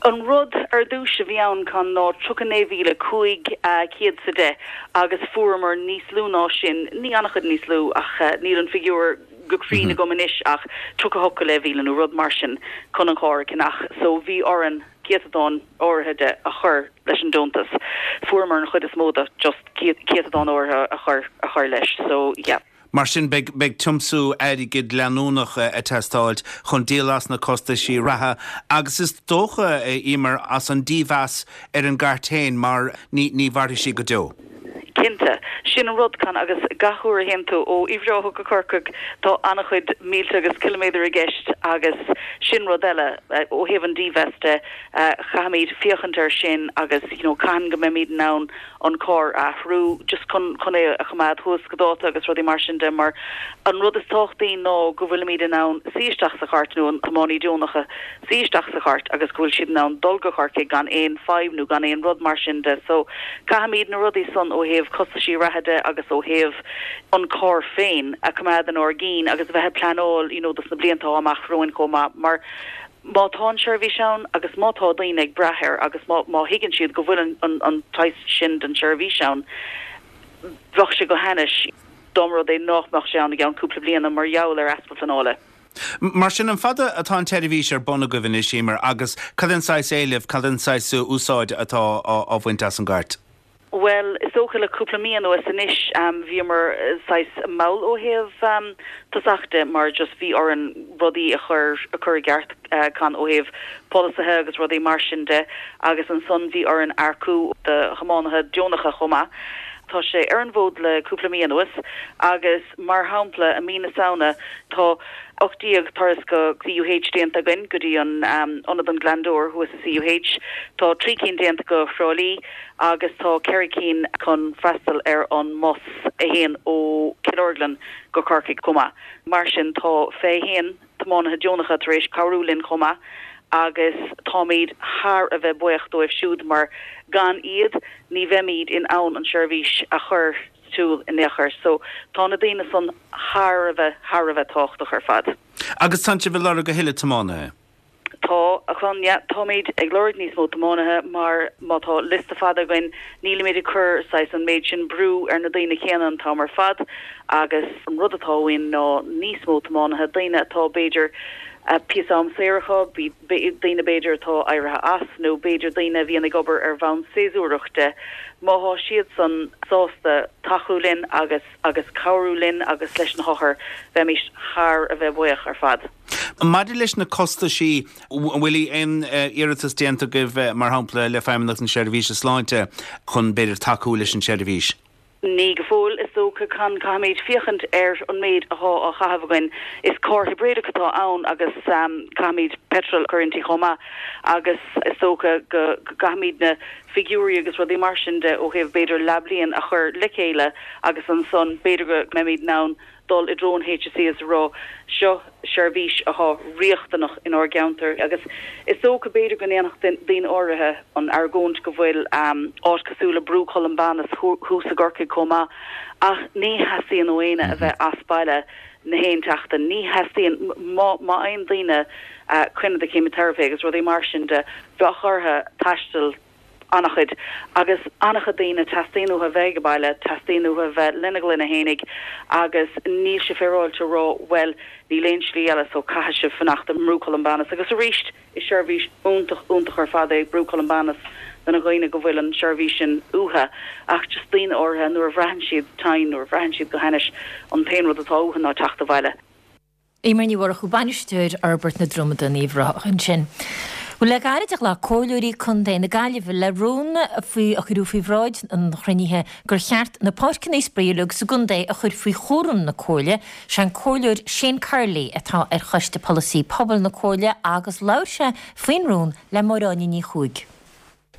An rud ar dtús a bhí ann Con ná tríocha naoi mhíle cúig chéad is a deich agus fuaireamar níos lú ná sin, ní an-chuid níos lú ach níl an figiúr go cruinn agam anois ach tríocha hocht go leith mhíle nó rud mar sin chun an carr a cheannach so bhí orainn céatadán áirithe de a chur leis an deontas. Fuaireamar an chuid is mó de, just céatadán áirithe a chur a chur leis. So, yeah. Mar sin, beidh beidh tiomsú airgid leanúnach ag teastáilt chun díol as na costaisí reatha agus is dócha, Emer, as an dímheas ar an gcairt féin mar ní ní mhairfidh sí go deo. Cinnte. Sin an rud, Con, agus gach uair a théann tú ó Uíbh Ráthach go Corcaigh tá an-chuid mílte agus ciliméadar i gceist agus sin rud eile, ó thaobh an dímheas de, caithfimid féachaint air sin agus you know caithfidh go mbeimid in ann an carr a athrú just chun chun é a choimeád thuas go dáta agus rudaí mar sin de mar an rud is tábhachtaí ná go bhfuilimid in ann suí isteach sa chairt nó an tiománaí deonach suí isteach sa chairt agus go bhfuil siad in ann dul go Corcaigh gan aon fadhb nó gan aon rud mar sin de so caithfimid na rudaí san ó thaobh costaisí reatha de agus ó thaobh an carr féin a choimeád inár gcinn agus a bheith ag pleanáil you know dos na blianta atá amach romhainn chomh maith mar má tá an seirbhís ann agus má tá daoine ag brath air agus má má thuigeann siad go bhfuil an an an saghas sin den tseirbhís ann bheadh sé go hainnis dá mba rud é nach mbeadh sé ann i gceann cúpla bliana mar gheall ar easpa pleanála. Mar sin, an fada atá an tseirbhís ar bun agaibh anois, Emer, agus cad é an saghas éilimh, cad é an saghas úsáide atá á bhaint as an gcairt? Bhuel, is dócha le cúpla mí anuas anois, bhíomar saghas mall ó thaobh tosach de mar just bhí orainn rudaí a chur a chur i gceart Con ó thaobh polasaithe agus rudaí mar sin de agus ansan bhí orainn earcú do thiománaithe deonacha chomh maith. Tá sé ar an bhfód le cúpla mí anuas agus mar shampla i mí na Samhna tá ocht déag turas go CUH déanta againn go dtí an Ionad an Glandore thuas i CUH, tá trí cinn déanta go Thrá Lí agus tá ceithre cinn chun freastal ar an mbus a théann ó Cill Orglan go Corcaigh chomh maith. Mar sin tá fiche haon tiománaithe deonacha tar éis cabhrú linn chomh maith agus táimid thar a bheith buíoch dóibh siúd mar gan iad ní bheimid in ann an seirbhís a chur sa tsiúl in aon chor. So tá na daoine san thar a bheith, thar a bheith tábhachtach ar fad. Agus tánn sibh ag lorg a thuilleadh tiománaithe? Tá, a Chon, yeah. Táimid ag lorg níos mó tiománaithe mar má tá liosta fada againn nílimid ag cur saghas an méid sin brú ar na daoine céanna an t-am ar fad agus an rud atá uainn ná níos mó tiománaithe, daoine atá b'fhéidir píosa am saor acu, daoine b'fhéidir atá éirithe as nó b'fhéidir daoine a bhíonn ag obair ar bhonn séasúrach de, má thá siadsan sásta tacú linn agus agus cabhrú linn agus leis na hothair, bheimis thar a bheith buíoch ar fad. Maidir leis na costaisí, an bhfuil aon iarratas déanta agaibh, mar shampla, le Feidhmeannacht na Seirbhíse Sláinte chun b'fhéidir tacú leis an tseirbhís? Ní go fóill, is dócha. Con, caithfimid féachaint ar an méid athá á chaitheamh againn. Is carr hibréideach atá ann agus caithfimid peitreal a chur inti chomh maith agus is dócha go gcaithfimid na figiúirí agus rudaí mar sin de ó thaobh b'fhéidir leathbhliain a chur le chéile agus ansan b'fhéidir go mbeimid in ann dul i dtreo an HSE is a rá seo seirbhís athá riachtanach inár gceantar agus is dócha b'fhéidir go ndéanfadh daoine áirithe an argóint go bhfuil áit cosúil le Brú Columbanus thuas i gCorcaigh chomh maith ach ní theastaíonn ó éinne a bheith as baile na haon tseachtain. Ní theastaíonn, má má fhaigheann daoine coinne do cheimiteiripe agus rudaí mar sin de bheadh orthu taisteal an-chuid, agus an-chuid daoine, teastaíonn uathu a bheith ag baile, teastaíonn uathu a bheith lena gclainne fhéinig agus níl sé féaráilte a rá bhuel níl aon slí eile so caithfidh sibh fanacht i mBrú Columbanus agus arís is seirbhís iontach, iontach ar fad é Brú Columbanus do na dhaoine go bhfuil an seirbhís sin uathu ach just daoine áirithe nuair a bhraitheann siad tinn, nuair a bhraitheann siad go hainnis an t-aon rud atá uathu ná teacht abhaile. Emer Ní Mhurchú, Bainisteoir Fhorbairt na Dromada in Uíbh Ráthach ansin. Bhuel le gairid a ghlac Comhairleoirí Contae na Gaillimhe le rún faoi a cuireadh faoi bhráid an chruinnithe gur cheart na páirceanna spraoi uilig sa gcontae a chur faoi chúram na Comhairle. Sé an Comhairleoir Shane Curley atá ar Choiste Polasaí Pobail na Comhairle agus labhair sé faoin rún le Máire Áine Ní Chuaig.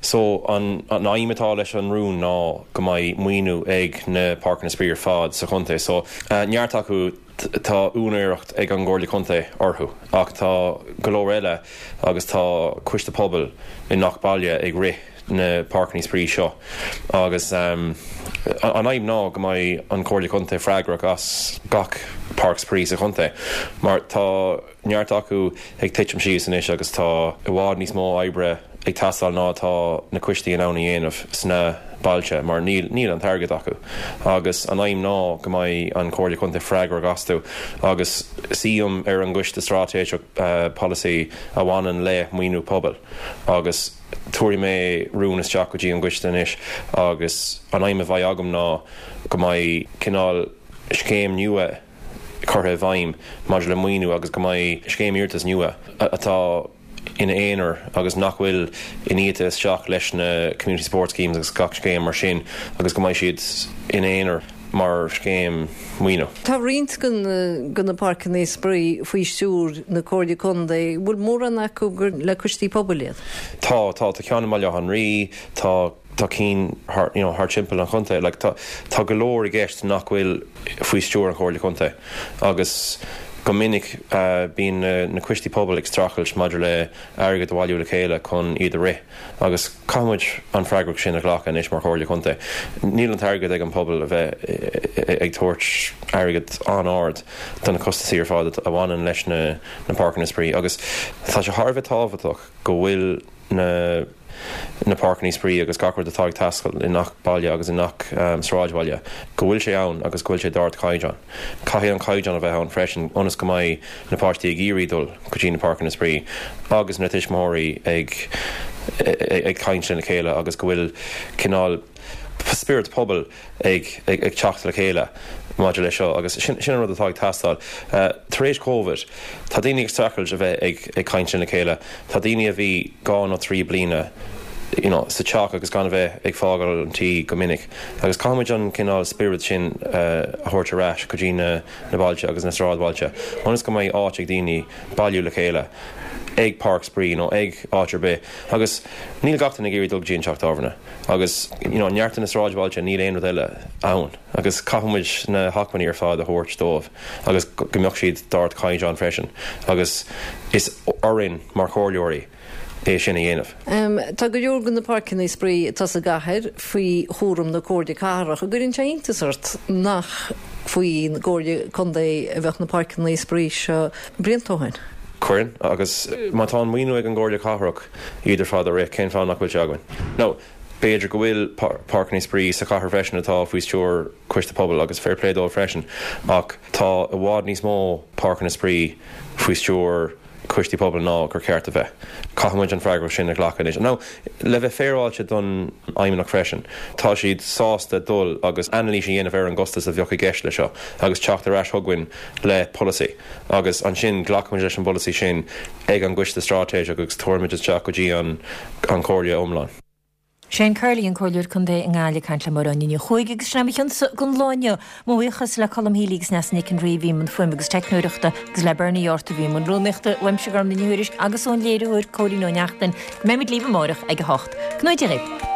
So an an aidhm atá leis an rún ná go mbeidh maoiniú ag na páirceanna spraoi ar fad sa chontae. So neart acu tá úinéireacht ag an gComhairle Contae orthu ach tá go leor eile agus tá coiste pobail i ngach baile ag rith na páirceanna spraoi seo agus um, an aidhm ná go mbeidh an Chomhairle Contae freagrach as gach páirc spraoi sa chontae mar tá neart acu ag titim síos anois agus tá i bhfad níos mó oibre ag teastáil ná tá na coistí in ann a dhéanamh sna bailte mar níl níl an t-airgead acu agus an aidhm ná go mbeidh an Chomhairle Contae freagrach astu agus suím ar an gcoiste straitéiseach uh, polasaí a bhaineann le maoiniú pobail agus tabharfaidh mé rún isteach go dtí an gcoiste anois agus an aidhm a bheidh agam ná go mbeidh cineál scéim nua curtha i bhfeidhm maidir le maoiniú agus go mbeidh scéim iarratais nua atá ina aonar agus nach bhfuil iniata isteach leis na community support schemes agus gach scéim mar sin agus go mbeidh siad ina aonar mar scéim maoiniú. Tá roinnt de na páirceanna spraoi faoi stiúir na Comhairle Contae, bhfuil mórán acu gur le coistí pobail iad? Tá, tá, tá ceann i mBaile Átha an Rí, tá tá cinn thar, you know, thar timpeall an chontae. Like, tá, tá go leor i gceist nach bhfuil faoi stiúir an Chomhairle Contae agus go minic uh, bíonn na, na coistí pobail ag streachailt maidir le airgead a bhailiú le chéile chun iad a rith agus caithfimid an freagracht sin a ghlacadh anois mar Chomhairle Contae. Níl an t-airgead ag an pobal a bheith ag tabhairt airgead an-ard do na costaisí ar fad a bhaineann leis na, na páirceanna spraoi agus tá sé thar a bheith tábhachtach go bhfuil na na páirceanna spraoi agus gach rud atá ag teastáil i ngach baile agus i ngach um, sráidbhaile, go bhfuil sé ann agus go bhfuil sé d'ardchaighdeán. Caithfidh an caighdeán a bheith ann freisin ionas go mbeidh na páistí ag iarraidh dul go dtí na páirceanna spraoi agus na tuismitheoirí ag ag, ag caint lena chéile agus go bhfuil cineál spiorad pobail ag, ag, ag teacht le chéile maidir leis seo agus sin, sin an rud atá ag teastáil. Uh, tar éis Covid, tá daoine ag streachailt a bheith ag, ag caint lena chéile, tá daoine a bhí dhá nó trí bliana you know, sa teach agus gan a bheith ag fágáil an tí go minic. Agus caithfimid an cineál spiorad sin uh, a thabhairt ar ais go dtí na, na bailte agus na sráidbhailte. Ionas go mbeidh áit ag daoine bailiú le chéile ag páirc spraoi nó ag áit ar bith. Agus níl gach duine ag iarraidh dul go dtí an teach tábhairne. Agus you know, neart na sráidbhailte níl aon rud eile ann. Agus caithfimid na hacmhainní ar fad a thabhairt dóibh agus go mbeadh siad d'ardchaighdeán freisin. Agus is orainn mar chomhairleoirí é sin a dhéanamh. Um, tá go leor de na páirceanna spraoi atá sa gcathair faoi chúram na Comhairle Cathrach, an gcuireann sé iontas ort nach faoin gComhairle Contae a bheadh na páirceanna spraoi seo blianta ó shin. Cuireann agus má tá an maoiniú ag an gComhairle Cathrach iad ar fad a rith cén fáth nach bhfuil sé againn. Now, b'fhéidir go bhfuil páirceanna spraoi sa chathair freisin atá faoi stiúir coiste pobail agus fair play dóibh freisin ach tá i bhfad níos mó páirceanna spraoi faoi stiúir coistí pobail ná gur ceart a bheith. Caithfimid an freagracht sin a ghlacadh anois. Now, le bheith féaráilte don fheidhmeannach freisin. Tá siad sásta dul agus anailís a dhéanamh ar an gcostas a bheadh i gceist le seo agus teacht ar ais chugainn le polasaí. Agus ansin glacfaimid leis an bpolasaí sin ag an gcoiste straitéiseach agus tabharfaimid isteach go dtí an an Chomhairle iomlán. Shane Curley an Comhairleoir Contae i nGaillimh ag caint le Máire Áine Ní Chuaig agus sin é mo chionsa don lá inniu. Mo bhuíochas le Colm Healy agus Neasa Nic an Rí a bhí i mbun fuaime agus teicneoireachta agus le Bernie Ort a bhí i mbun rúnaíochta uaimse Gormfhlaith Ní Thuairisg agus ón léiritheoir Cóilín Ó Neachtain go mbeimid libh amárach ag a hocht. Go ngnóthaí Dia dhaoibh.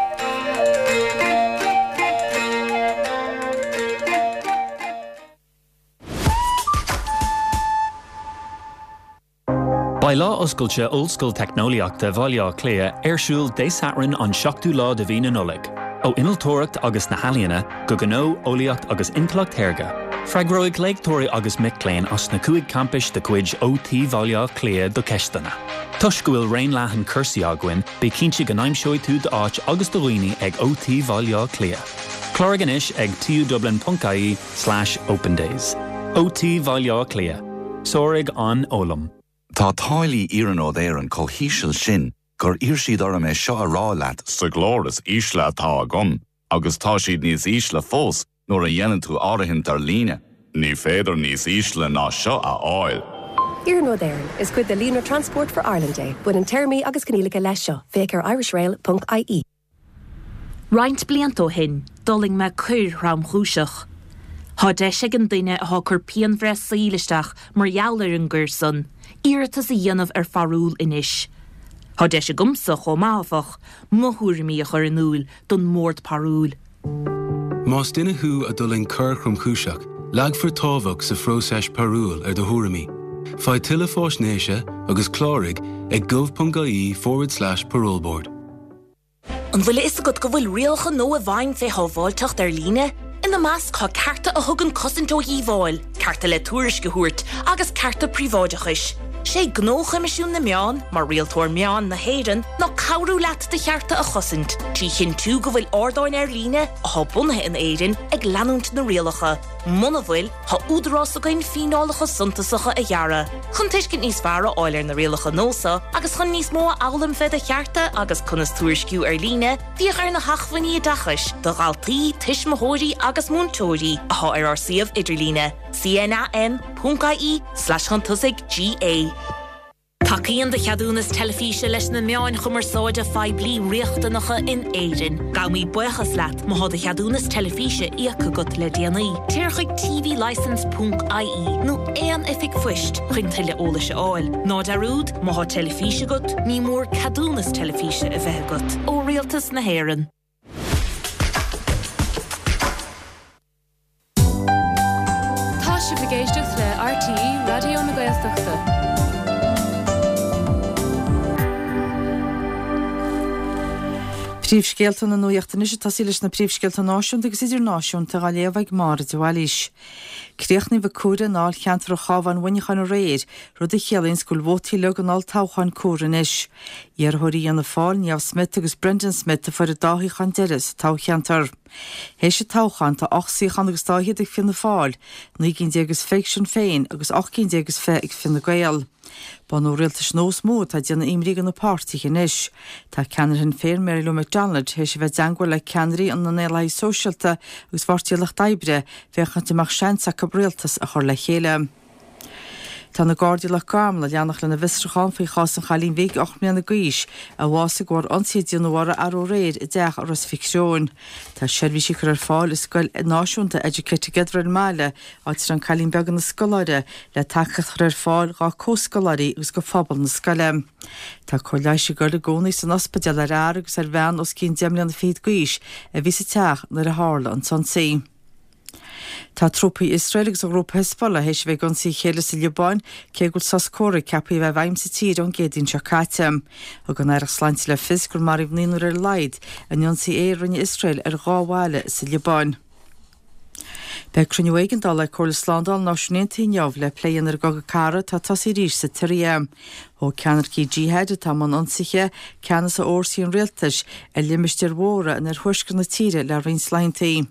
Beidh lá oscailte Ollscoil Teicneolaíochta Bhaile Átha Cliath ar siúl Dé Sathairn an seachtú lá de mhí na Nollag. Ó innealtóireacht agus na healaíona go gnó, eolaíocht agus intleacht shaorga. Freagróidh léachtóirí agus mic léinn as na cúig campais de chuid OT Bhaile Átha Cliath do cheisteanna. Toisc go bhfuil raon leathan cúrsaí againn, bí cinnte go n-aimseoidh tú d'áit agus do dhaoine ag OT Bhaile Átha Cliath. Cláraigh anois ag tudublin.ie slash opendays. OT Bhaile Átha Cliath. Sáraigh an fhoghlaim. Tá táillí Iarnród Éireann chomh híseal sin gur iarr siad orm é seo a rá leat sa ghlór is ísle atá agam, agus tá siad níos ísle fós nuair a dhéanann tú áirithint ar líne. Ní féidir níos ísle ná seo a fháil. Iarnród Éireann, is cuid de líonra Transport for Ireland é. Baineann téarmaí agus coinníollacha leis seo. Féach ar irishrail.ie. Roinnt blianta ó shin, d'fhulaing mé coir thromchúiseach. Tá deis ag an duine atá ag cur pianbhreith saoil isteach mar gheall ar an gcoir san, iarratas a dhéanamh ar pharúl anois. Tá deis agamsa chomh maith, áfach, mo thuairimí a chur in iúl don mBord Parúil. Más duine thú a d'fhulaing coir thromchúiseach, leagfar tábhacht sa phróiseas parúil ar do thuairimí. Faigh tuilleadh faisnéise agus cláraigh ag gov.ie forward slash paroleboard. An bhfuil a fhios agat go bhfuil rialacha nua i bhfeidhm fé shábháilteacht ar líne? Ina measc tá cearta a thugann cosaint ó dhíobháil, cearta le tuairisc a thabhairt agus cearta príobháideachais. Sé gnó Choimisiún na Meán, mar rialtóir meán na hÉireann, ná cabhrú leat do chearta a chosaint, trí chinntiú go bhfuil ardáin ar líne, atá bunaithe in Éirinn, ag leanúint na rialacha. Muna bhfuil, tá údarás againn fíneálacha suntasacha a ghearradh. Chun tuiscint níos fearr a fháil ar na rialacha nua seo agus chun níos mó a fhoghlaim fé do chearta agus conas tuairisciú ar líne, féach ar na hacmhainní oideachais do dhaltaí, tuismitheoirí agus múinteoirí atá ar ár suíomh idirlíne, cnam ponc ie slash chun tosaigh GA. Tacaíonn do cheadúnas teilifíse leis na meáin chumarsáide phoiblí riachtanacha in Éirinn. Gabhaimid buíochas leat má tá do cheadúnas teilifíse íoctha agat le déanaí. Téir chuig tvlicence ponc ie nó aon oifig phoist chun tuilleadh eolais a fháil. Ná dearúd, má tá teilifís agat, ní mór ceadúnas teilifíse a bheith agat. Ó Rialtas na hÉireann. Tá sibh ag éisteacht le RTÉ Raidió na Gaeltachta. Príomhscéalta na nuachta anois ag tosaí leis na príomhscéalta náisiúnta agus idirnáisiúnta á léamh ag Máire de Bhailís. Críochnaíodh ag comhaireamh i ndáilcheantar an Chabháin Mhuineacháin aréir, rud a chiallaíonn go bhfuil vótaí uilig an olltoghcháin comhairthe anois. Iarrthóirí Fhianna Fáil, Niamh Smyth agus Brendan Smyth a fuair an dá shuíochán deiridh sa toghcheantar. Théis an toghcháin tá ocht suíochán agus dá fhichead ag Fianna Fáil, naoi gcinn déag is fiche ag Sinn Féin agus ocht gcinn déag is fiche ag Fine Gael. Bunú rialtais nua is mó atá ag déanamh imní do na páirtithe anois. Tá ceannaire Shinn Féin Mary Lou McDonald théis a bheith i dteangmháil le ceannairí an nDaonlathaigh Sóisialta agus Pháirtí an Lucht Oibre féachaint an mbeadh seans acu rialtas a chur le chéile. Tá na Gardaí i Loch Garman ag leanacht lena bhfiosrúchán faoi chás an chailín bhig ocht mbliana d'aois a bhásaigh de bharr ionsaí a déanadh uirthi arú aréir i dteach i Ros Mhic Thriúin. Tá seirbhísí curtha ar fáil i scoil náisiúnta Educate Together ar an mbaile, áit a raibh an cailín beag ina scoláire, le tacaíocht a chur ar fáil dá comhscoláirí agus do phobal na scoile. Tá cóir leighis ag dul i gcónaí san ospidéal ar fhear agus ar bhean os cionn deich mbliana fichead d'aois a bhí sa teach nuair a tharla an t-ionsaí. Tá trúpaí Iosrael agus an ghrúpa Hezbollah théis a bheith ag ionsaí a chéile sa Liobáin, cé go bhfuil sos comhraic ceaptha a bheith i bhfeidhm sa tír ón gCéadaoin seo caite. Thug an Aireacht Sláinte le fios gur maraíodh naonúr ar a laghad in ionsaí aeir a rinne Iosrael ar dhá bhaile sa Liobáin. Beidh cruinniú éigeandála ag Comhairle Slándála na Náisiún Aontaithe inniu le plé a dhéanamh ar an gcogadh cathartha atá tosaithe arís sa tSiria. Thóg ceannaircigh Jihad atá i mbun ionsaithe ceannas ar fhórsaí an rialtais ar limistéir mhóra in oirthuaisceart na tíre le roinnt laethanta.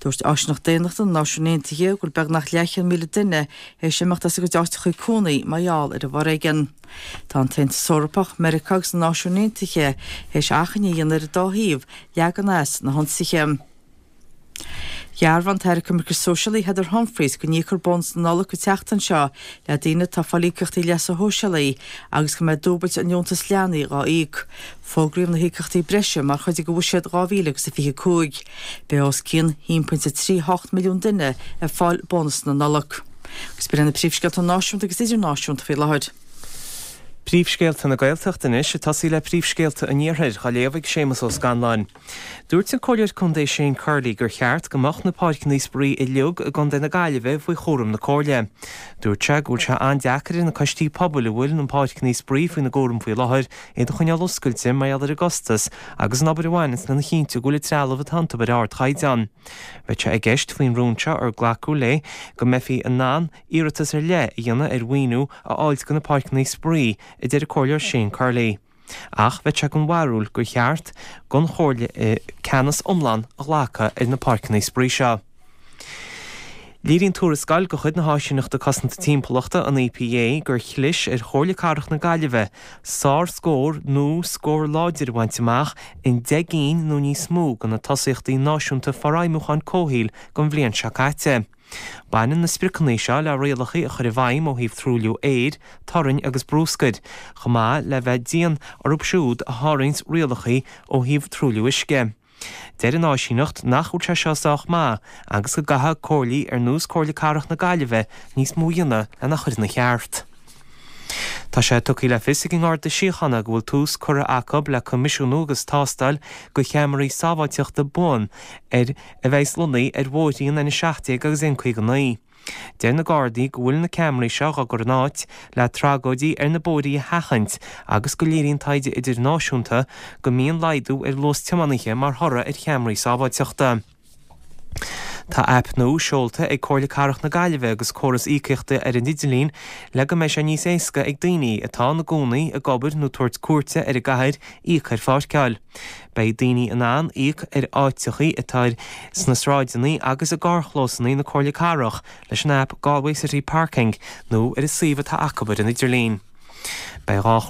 Dúirt Áisíneacht Daonnachta na Náisiún Aontaithe go bhfuil beagnach leathchéad míle duine théis imeacht as a gcuid áiteacha cónaí mar gheall ar an bhforéigean. Tá an tAontas Eorpach, Meiriceá agus na Náisiúin Aontaithe théis achainí a dhéanamh ar an dá thaobh leagan as na hionsaithe. Dhearbhaigh an tAire Coimirce Sóisialaí Heather Humphreys go n-íocfar bónas na Nollag an tseachtain seo le daoine atá ag fáil íocaíochtaí leasa shóisialaigh agus go mbeidh dúbailt an deontais leanaí dhá íoc. Fógraíodh na híocaíochtaí breise mar chuid de bhuiséad dhá mhíle agus a fiche cúig. Beidh os cionn haon pointe trí hocht milliún duine ag fáil bónas na Nollag. Agus b'in na príomhscéalta náisiúnta agus idirnáisiúnta faoi láthair. Príomhscéalta na Gaeltachta anois ag tosaí le príomhscéalta an Iarthair, á léamh ag Séamus Ó Scanláin. Dúirt an Comhairleoir Contae Shane Curley gur cheart go mbeadh na páirceanna spraoi uilig i gContae na Gaillimhe faoi chúram na Comhairle. Dúirt sé go bhfuil sé an-deacair ar na coistí pobail a bhfuil na páirceanna spraoi faoina gcúram faoi láthair iad a choinneáil oscailte mar gheall ar an gcostas agus an obair a bhaineanns lena chinntiú go bhfuil an trealamh atá iontu ar ardchaighdeán. Bheadh sé i gceist faoin rún seo ar glacadh léi go mbeifí in ann iarratas ar leith a dhéanamh ar mhaoiniú a fháil do na páirceanna spraoi, a deir an Comhairleoir Shane Curley. Ach bheadh sé den bharúil gur cheart don Chomhairle ceannas iomlán a ghlacadh ar na páirceanna spraoi seo. Léiríonn tuarascáil de chuid na hÁisíneachta Cosanta Timpeallachta, an EPA, gur chlis ar Chomhairle Cathrach na Gaillimhe sár-scór nó scór láidir a bhaint amach in deich gcinn nó níos mó de na tosaíochtaí náisiúnta forfheidhmiúcháin comhshaoil don bhliain seo caite. Baineann na spriocanna seo le rialacha a chur i bhfeidhm ó thaobh truailliú aeir, torainn agus bruscair, chomh maith le bheith dian orthu siúd a sháraíonns rialacha ó thaobh truailliú uisce. Deir an áisíneacht nach bhfuil sé seo sách maith agus go gcaithfidh comhairlí ar nós Comhairle Cathrach na Gaillimhe níos mó a dhéanamh lena chur ina cheart. Tá sé tugtha le fios ag an nGarda Síochána go bhfuil tús curtha acu le coimisiúnú agus tástáil do cheamaraí sábháilteachta buan ar a bheas lonnaithe ar bhóithrí an N a seacht déag agus N caoga naoi. Deir na Gardaí go bhfuil na ceamaraí seo á gcur in áit le tragóidí ar na bóithrí a sheachaint agus go léiríonn taighde idirnáisiúnta go mbíonn laghdú ar luas tiománaithe mar thoradh ar cheamaraí sábháilteachta. Tá aip nua seolta ag Comhairle Cathrach na Gaillimhe agus córas íocaíochta ar an idirlíon le go mbeidh sé níos éasca ag daoine atá ina gcónaí, ag obair nó tabhairt cuairte ar an gcathair íoc ar pháirceáil. Beidh daoine in ann íoc ar áiteachaí atá sna sráideanna agus i gcarrchlósanna na Comhairle Cathrach leis an aip Galway City Parking nó ar an suíomh atá acu ar an idirlíon. Beidh dhá